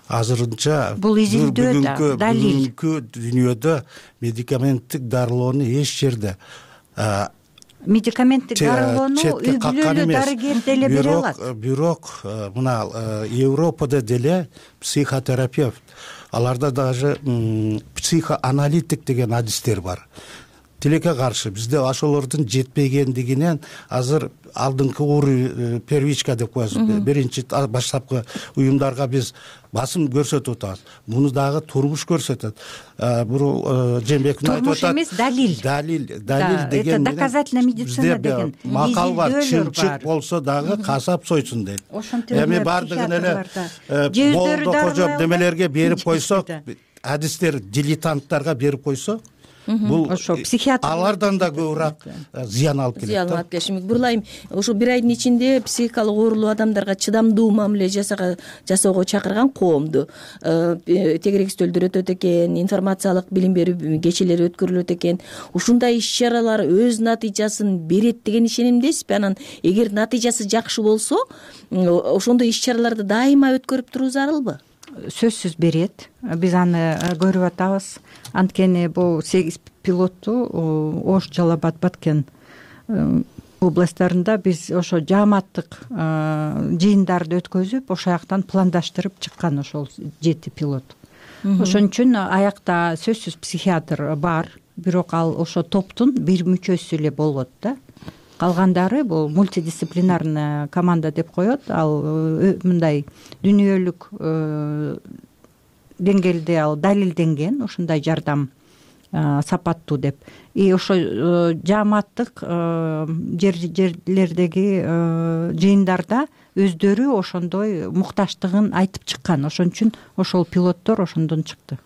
Азырынча
бул изилдөө да, далил.
Бүгүнкү дүйнөдө медикаменттик дарылоону эч жерде
медикаменттик дарылоону үй бүлөлүү дарыгер деле бере алат.
Бирок мына Европада деле психотерапевт, аларда даже психоаналитик деген адистер бар. Тилекке каршы бизде ошолордун жетпегендигинен азыр алдыңкы первичка деп коебуз, биринчи баштапкы уюмдарга биз басым көрсөтүп атабыз. Муну дагы турмуш көрсөтөт. Бул Жээнбеков айтып атат.
Турмуш эмес, далил.
Далил деген
это доказательная медицина деген
макал бар, чымчык болсо дагы касап сойсун дейт. Эми бардыгын эле болду кожоп немелерге берип койсок, адистер дилетанттарга берип койсок, бул
ошо психиатр
алардан да көбүрөөк зыян алып келет.
Зыян алып келиши мүмкүн. Бурлайм, ошо бир айдын ичинде психикалык оорулуу адамдарга чыдамдуу мамиле жасоого чакырган коомду тегерек стөлдөр өтөт экен, информациялык билим берүү кечелери өткөрүлөт экен. Ушундай иш-чаралар өз натыйжасын берет деген ишенимдесизби? Анан эгер натыйжасы жакшы болсо, ошондой иш-чараларды дайыма өткөрүп туруу зарылбы?
Сөзсүз берет. Биз аны көрүп атабыз. Анткени бул 8 пилотту Ош, Жалал Абад, Баткен областтарында биз ошо жааматтык жыйындарды өткөзүп, ошол жактан пландаштырып чыккан ошол 7 пилот. Ошон үчүн аякта сөзсүз психиатр бар, бирок ал ошо топтун бир мүчөсү эле болот да. Калгандары бул мультидисциплинарный команда деп коет. Ал мындай дүйнөлүк деңгээлде ал далилденген, ушундай жардам сапаттуу деп. И ошо жааматтык жерлердеги жыйындарда өздөрү ошондой мукташтыгын айтып чыккан. Ошон үчүн ошол пилоттор ошондон чыкты.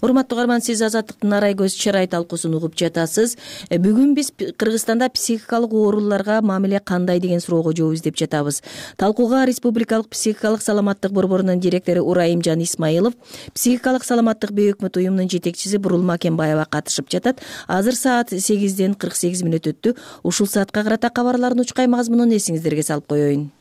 Урматтуу угарман, сиз Азаттыктын Арай көз чырай талкуусун угуп жатасыз. Бүгүн биз Кыргызстанда психикалык ооруларга мамиле кандай деген суроого жооп издеп жатабыз. Талкууга Республикалык психикалык саламаттык борборунун директору Урайымжан Исмаилов, психикалык саламаттык бейөкмөт уюмунун жетекчиси Бурул Макенбаева катышып жатат. Азыр саат 8:48 өттү. Ушул саатка карата кабарлардын учкай мазмунун эсиңиздерге салып коеюн.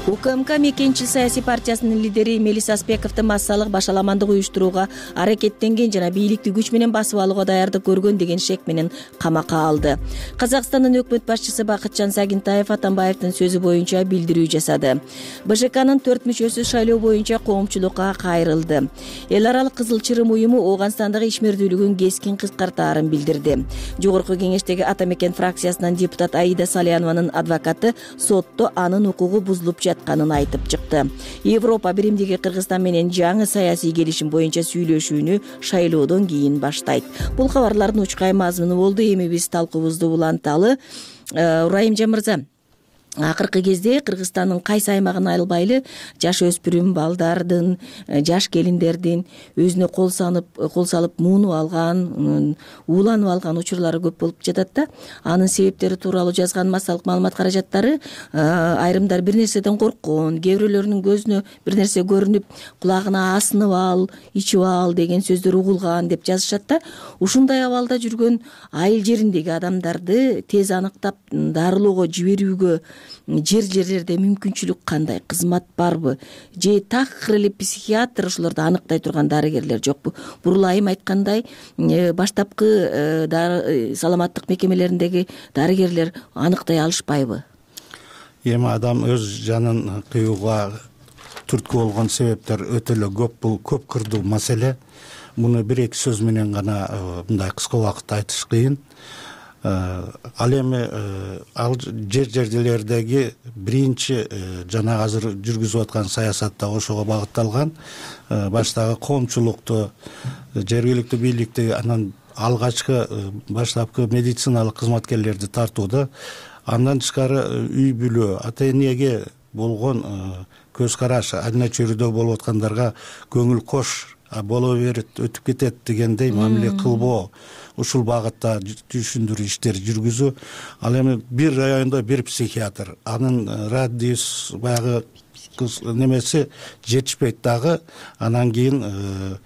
УКМК Мекенчил саясий партиясынын лидери Мелис Аспековду массалык башаламандык уюштурууга аракеттенген жана бийликти күч менен басып алууга даярдык көргөн деген шек менен камакка алды. Казакстандын өкмөт башчысы Бакытжан Сагинтаев Атамбаевдин сөзү боюнча билдирүү жасады. БШКнын 4 мүчөсү шайлоо боюнча коомчулукка кайрылды. Эл аралык Кызыл Чырым уюму Ооганстандагы ишмердүүлүгүн кескин кыскартаарын билдирди. Жогорку кеңештеги Ата Мекен фракциясынан депутат Аида Салянованын адвокаты сотто анын укугу бузулуп жатканын айтып чыкты. Европа биримдиги Кыргызстан менен жаңы саясий келишим боюнча сүйлөшүүнү шайлоодон кийин баштайт. Бул кабарлардын учкай мазмуну болду. Эми биз талкуубузду уланталы. Урайымжан мырза, акыркы кезде Кыргызстандын кайсы аймагын айылбайлы жаш өспүрүм балдардын, жаш келиндердин өзүнө кол салып муунуп алган, ууланып алган учурлары көп болуп жатат да. Анын себептери тууралуу жазган массалык маалымат каражаттары айрымдар бир нерседен корккон, кээ бирөөлөрүнүн көзүнө бир нерсе көрүнүп, кулагына асынып ал, ичип ал деген сөздөр угулган деп жазышат да. Ушундай абалда жүргөн айыл жериндеги адамдарды тез аныктап дарылоого жиберүүгө жерлерде мүмкүнчүлүк кандай, кызмат барбы же такыр эле психиатр ошолорду аныктай турган дарыгерлер жокпу? Бурулайым айткандай, баштапкы саламаттык мекемелериндеги дарыгерлер аныктай алышпайбы?
Эми адам өз жанын кыюуга түрткү болгон себептер өтө эле көп. Бул көп кырдуу маселе. Муну бир-эки сөз менен гана мындай кыска убакытта айтыш кыйын. Ал эми ал жерлердеги биринчи жана азыр жүргүзүп аткан саясат да ошого багытталган. Баштагы коомчулукту, жергиликтүү бийликти, анан алгачкы баштапкы медициналык кызматкерлерди тартууда, андан тышкары үй бүлө, ата энеге болгон көз караш, айна чөйрөдө болуп аткандарга көңүл кош, боло берет, өтүп кетет дегендей мамиле кылбоо, ушул багытта түшүндүрүү иштери жүргүзүү. Ал эми бир райондо бир психиатр, анын радиус баягы немеси жетишпейт дагы. Анан кийин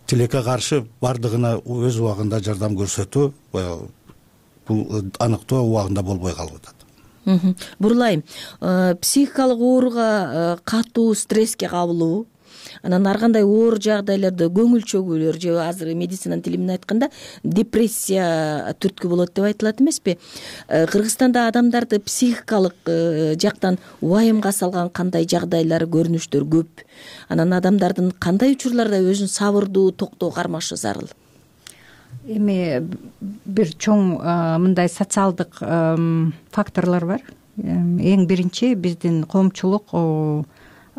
тилекке каршы бардыгына өз убагында жардам көрсөтүү, бул аныктоо убагында болбой калып атат.
Бурулайым, психикалык ооруга катуу стресске кабылуу, анан ар кандай оор жагдайларда көңүл чөгүүлөр же азыр медицинанын тили менен айтканда депрессия түрткү болот деп айтылат эмеспи? Кыргызстанда адамдарды психикалык жактан убайымга салган кандай жагдайлар, көрүнүштөр көп? Анан адамдардын кандай учурларда өзүн сабырдуу, токтоо кармашы зарыл?
Эми бир чоң мындай социалдык факторлор бар. Эң биринчи биздин коомчулук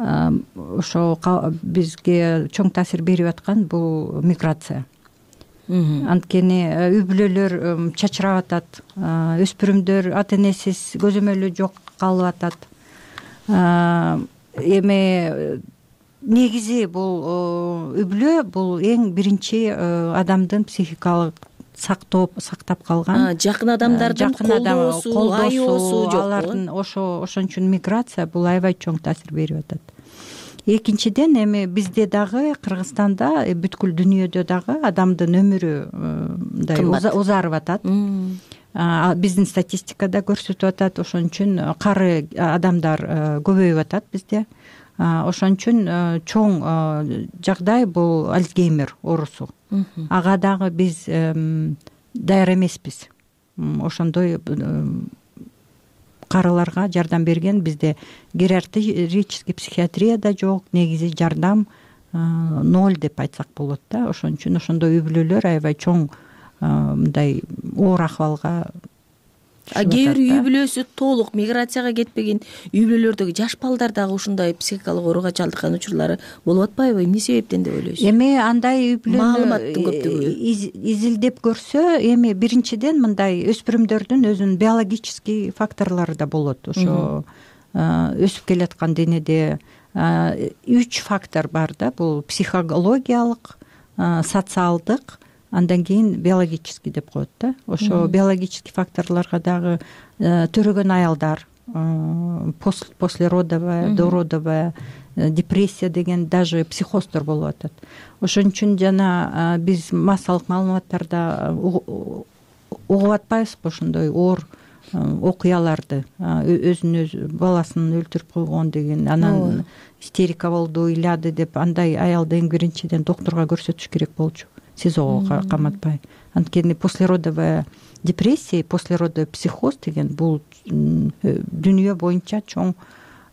ошо бизге чоң таасир берип аткан бул миграция. Анткени үй бүлөлөр чачырап атат, өспүрүмдөр ата энесиз көзөмөлү жок калып атат. Эми негизи бул үй бүлө бул эң биринчи адамдын психикалык сактап калган
жакын адамдардын колдоосу, айоосу жок.
Алардын ошон үчүн миграция бул аябай чоң таасир берип атат. Экинчиден эми бизде дагы Кыргызстанда, бүткүл дүйнөдө дагы адамдын өмүрү мындай узарып атат. Биздин статистикада көрсөтүп атат. Ошон үчүн кары адамдар көбөйүп атат бизде. Ошон үчүн чоң жагдай бул Альцгеймер оорусу. Ага дагы биз даяр эмеспиз. Ошондой карыларга жардам берген бизде гериатрический психиатрия да жок, негизи жардам 0 деп айтсак болот да. Ошон үчүн ошондой үй бүлөлөр аябай чоң мындай оор акыбалга.
Кээ бир үй бүлөсү толук миграцияга кетпеген үй бүлөлөрдөгү жаш балдар дагы ушундай психикалык ооруга чалдыккан учурлары болуп атпайбы? Эмне себептен деп ойлойсуз?
Эми андай үй бүлөнү
маалыматтын көптүгү
изилдеп көрсө, эми биринчиден мындай өспүрүмдөрдүн өзүнүн биологический факторлору да болот. Ошо өсүп келаткан денеде 3 фактор бар да. Бул психологиялык, социалдык, андан кийин биологический деп коет да. Ошо биологический факторлорго дагы төрөгөн аялдар, послеродовая, дородовая депрессия деген, даже психоздор болуп атат. Ошон үчүн жана биз массалык маалыматтарда угуп атпайбызбы ошондой оор окуяларды, өзүн өзү баласын өлтүрүп койгон деген, анан истерика болду, ыйлады деп, андай аялды эң биринчиден доктурга көрсөтүш керек болчу, СИЗОго каматпай. Анткени послеродовая депрессия, послеродовый психоз деген бул дүйнө боюнча чоң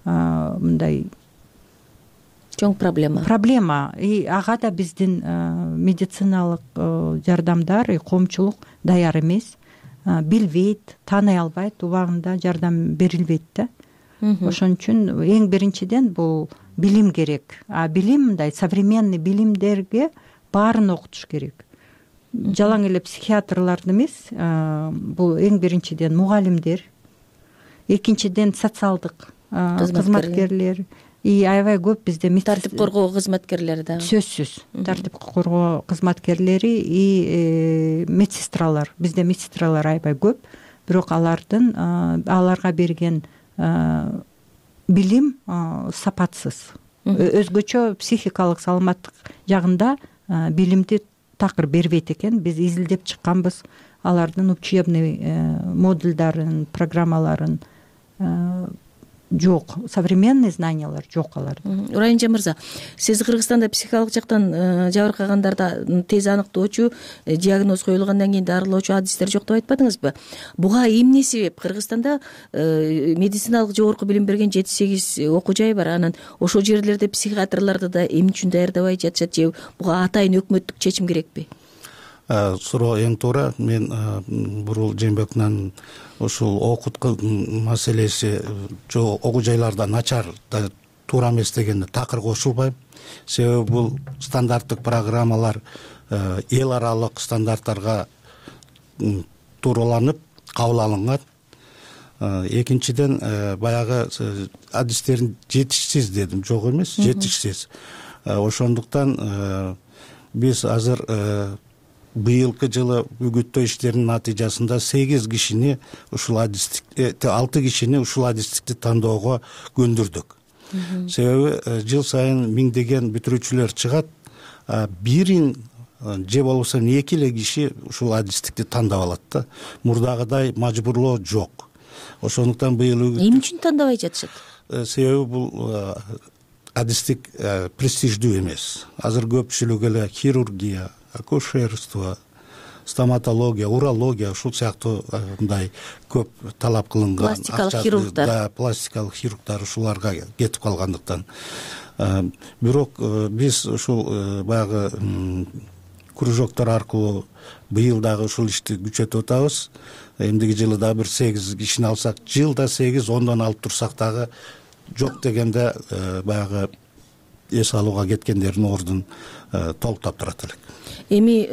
мындай
чоң проблема.
И ага да биздин медициналык жардамдар, коомчулук даяр эмес, билбейт, тааный албайт, убагында жардам берилбейт да. Ошон үчүн эң биринчиден бул билим керек. Билим мындай современный билимдерге баарын окутуш керек. Жалаң эле психиатрларды эмес, бул эң биринчиден мугалимдер, экинчиден социалдык кызматкерлер аябай көп бизде
тартип коргоо кызматкерлери дагы
сөзсүз тартип коргоо кызматкерлери и медсестралар бизде медсестралар аябай көп, бирок аларга берген билим сапатсыз. Өзгөчө психикалык саламаттык жагында билимди такыр бербейт экен. Биз изилдеп чыкканбыз алардын учебный модульдарын, программаларын. Жок, современный знаниялар жок аларда.
Урайымжан мырза, сиз Кыргызстанда психикалык жактан жабыркагандарда тез аныктоочу, диагноз коюлгандан кийин дарылоочу адистер жок деп айтпадыңызбы? Буга эмне себеп? Кыргызстанда медициналык жогорку билим берген 7-8 окуу жай бар. Анан ошол жерлерде психиатрларды да эмне үчүн даярдабай жатышат же буга атайын өкмөттүк чечим керекпи?
Суроо эң туура. Мен Бурул Жээнбековдун ушул окутку маселеси окуу жайларда начар да туура эмес дегенде такыр кошулбайм. Себеби бул стандарттык программалар эл аралык стандарттарга туураланып кабыл алынган. Экинчиден баягы адистерин жетишсиз дедим, жок эмес, жетишсиз. Ошондуктан биз азыр быйылкы жылы үгүттөө иштеринин натыйжасында 8 кишини ушул адистик 6 кишини ушул адистикти тандоого көндүрдүк. Себеби жыл сайын миңдеген бүтүрүүчүлөр чыгат, бирин же болбосо 2 эле киши ушул адистикти тандап алат да. Мурдагыдай мажбурлоо жок. Ошондуктан быйыл
эмне үчүн тандабай жатышат?
Себеби бул адистик престиждүү эмес. Азыр көпчүлүгү эле хирургия, акушерство, стоматология, урология ушул сыяктуу мындай көп талап кылынган
пластикалык хирургдар,
пластикалык хирургдар ушуларга кетип калгандыктан. Бирок биз ушул баягы кружоктор аркылуу быйыл дагы ушул ишти күчөтүп атабыз. Эмдиги жылы да бир 8 кишини алсак, жылда 8-10 алып турсак дагы жок дегенде баягы эс алууга кеткендердин ордун толуктап турат элек.
Эми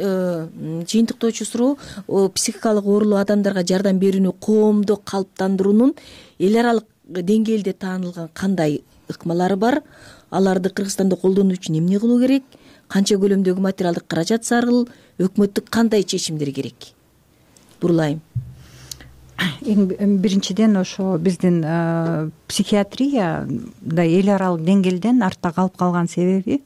жыйынтыктоочу суроо, психикалык оорулуу адамдарга жардам берүүнү коомдо калыптандыруунун эл аралык деңгээлде таанылган кандай ыкмалары бар? Аларды Кыргызстанда колдонуу үчүн эмне кылуу керек? Канча көлөмдөгү материалдык каражат зарыл? Өкмөттүк кандай чечимдер керек? Бурулайым.
Биринчиден ошо биздин психиатрияда эл аралык деңгээлден артта калып калган себеби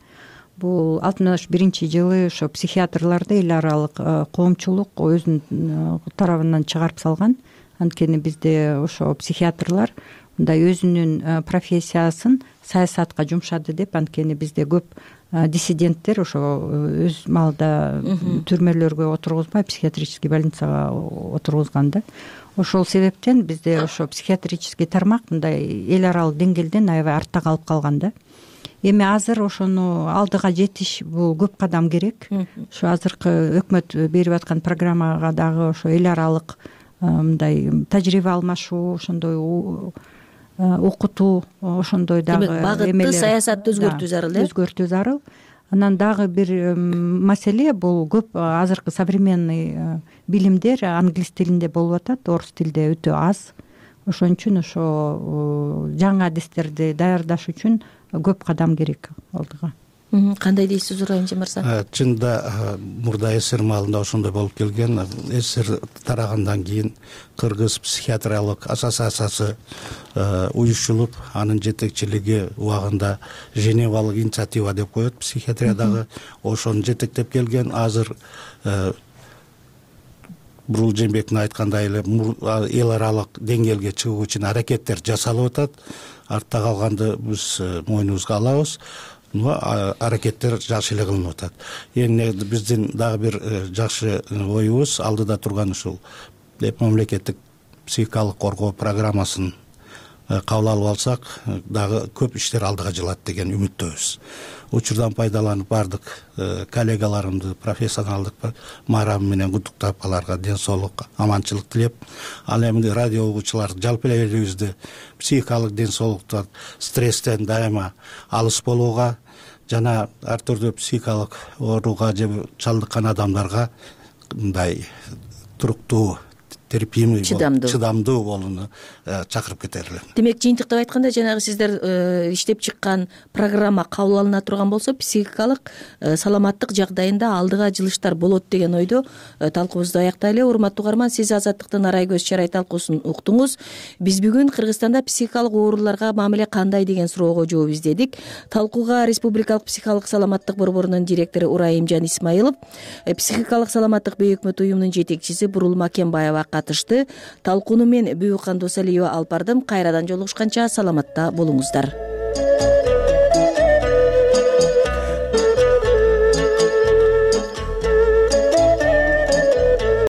бул 61-жылы ошо психиатрларды эл аралык коомчулук өзүнүн тарабынан чыгарып салган. Анткени бизде ошо психиатрлар мындай өзүнүн профессиясын саясатка жумшады деп, анткени бизде көп диссиденттер ошо өз маалда түрмөлөргө отургузбай психиатрический больницага отургузган да. Ошол себептен бизде ошо психиатрический тармак мындай эл аралык деңгээлден аябай артта калып калган да. Эми азыр ошону алдыга жетиш бул көп кадам керек. Ошо азыркы өкмөт берип аткан программага дагы ошо эл аралык мындай тажрыйба алмашуу, ошондой окутуу, ошондой дагы
багытты саясатты өзгөртүү зарыл,
өзгөртүү зарыл. Анан дагы бир маселе бул көп азыркы современный билимдер англис тилинде болуп атат, орус тилде өтө аз. Ошон үчүн ошо жаңы адистерди даярдаш үчүн көп кадам керек алдыга.
Кандай дейсиз Урайымжан мырза?
Чында мурда СССР маалында ошондой болуп келген. СССР тарагандан кийин Кыргыз психиатриялык ассоциациясы уюштурулуп, анын жетекчилиги убагында Женевалык инициатива деп коет психиатриядагы. Ошону жетектеп келген. Азыр Бурул Жээнбековдун айткандай эле эл аралык деңгээлге чыгуу үчүн аракеттер жасалып атат. Артта калганды биз мойнубузга алабыз. Аракеттер жакшы эле кылынып атат. Эми биздин дагы бир жакшы оюбуз алдыда турган ушул мамлекеттик психикалык коргоо программасын кабыл алып алсак, дагы көп иштер алдыга жылат деген үмүттөбүз. Учурдан пайдаланып бардык коллегаларымды профессионалдык маарам менен куттуктап, аларга ден соолук, аманчылык тилеп, ал эми радио угуучулар жалпы эле элибизде психикалык ден соолуктан, стресстен дайыма алыс болууга жана ар түрдүү психикалык ооруга же чалдыккан адамдарга мындай туруктуу терпимый чыдамдуу болууну чакырып кетер элем.
Демек жыйынтыктап айтканда жанагы сиздер иштеп чыккан программа кабыл алына турган болсо психикалык саламаттык жагдайында алдыга жылыштар болот деген ойдо талкуубузду аяктайлы. Урматтуу угарман, сиз Азаттыктын Арай көз чарай талкуусун уктуңуз. Биз бүгүн Кыргызстанда психикалык ооруларга мамиле кандай деген суроого жооп издедик. Талкууга Республикалык психикалык саламаттык борборунун директору Урайымжан Исмаилов, психикалык саламаттык бей өкмөт уюмунун жетекчиси Бурул Макенбаева катышты. Талкууну мен Бүкан Досалиева алып бардым. Кайрадан жолугушканча саламатта болуңуздар.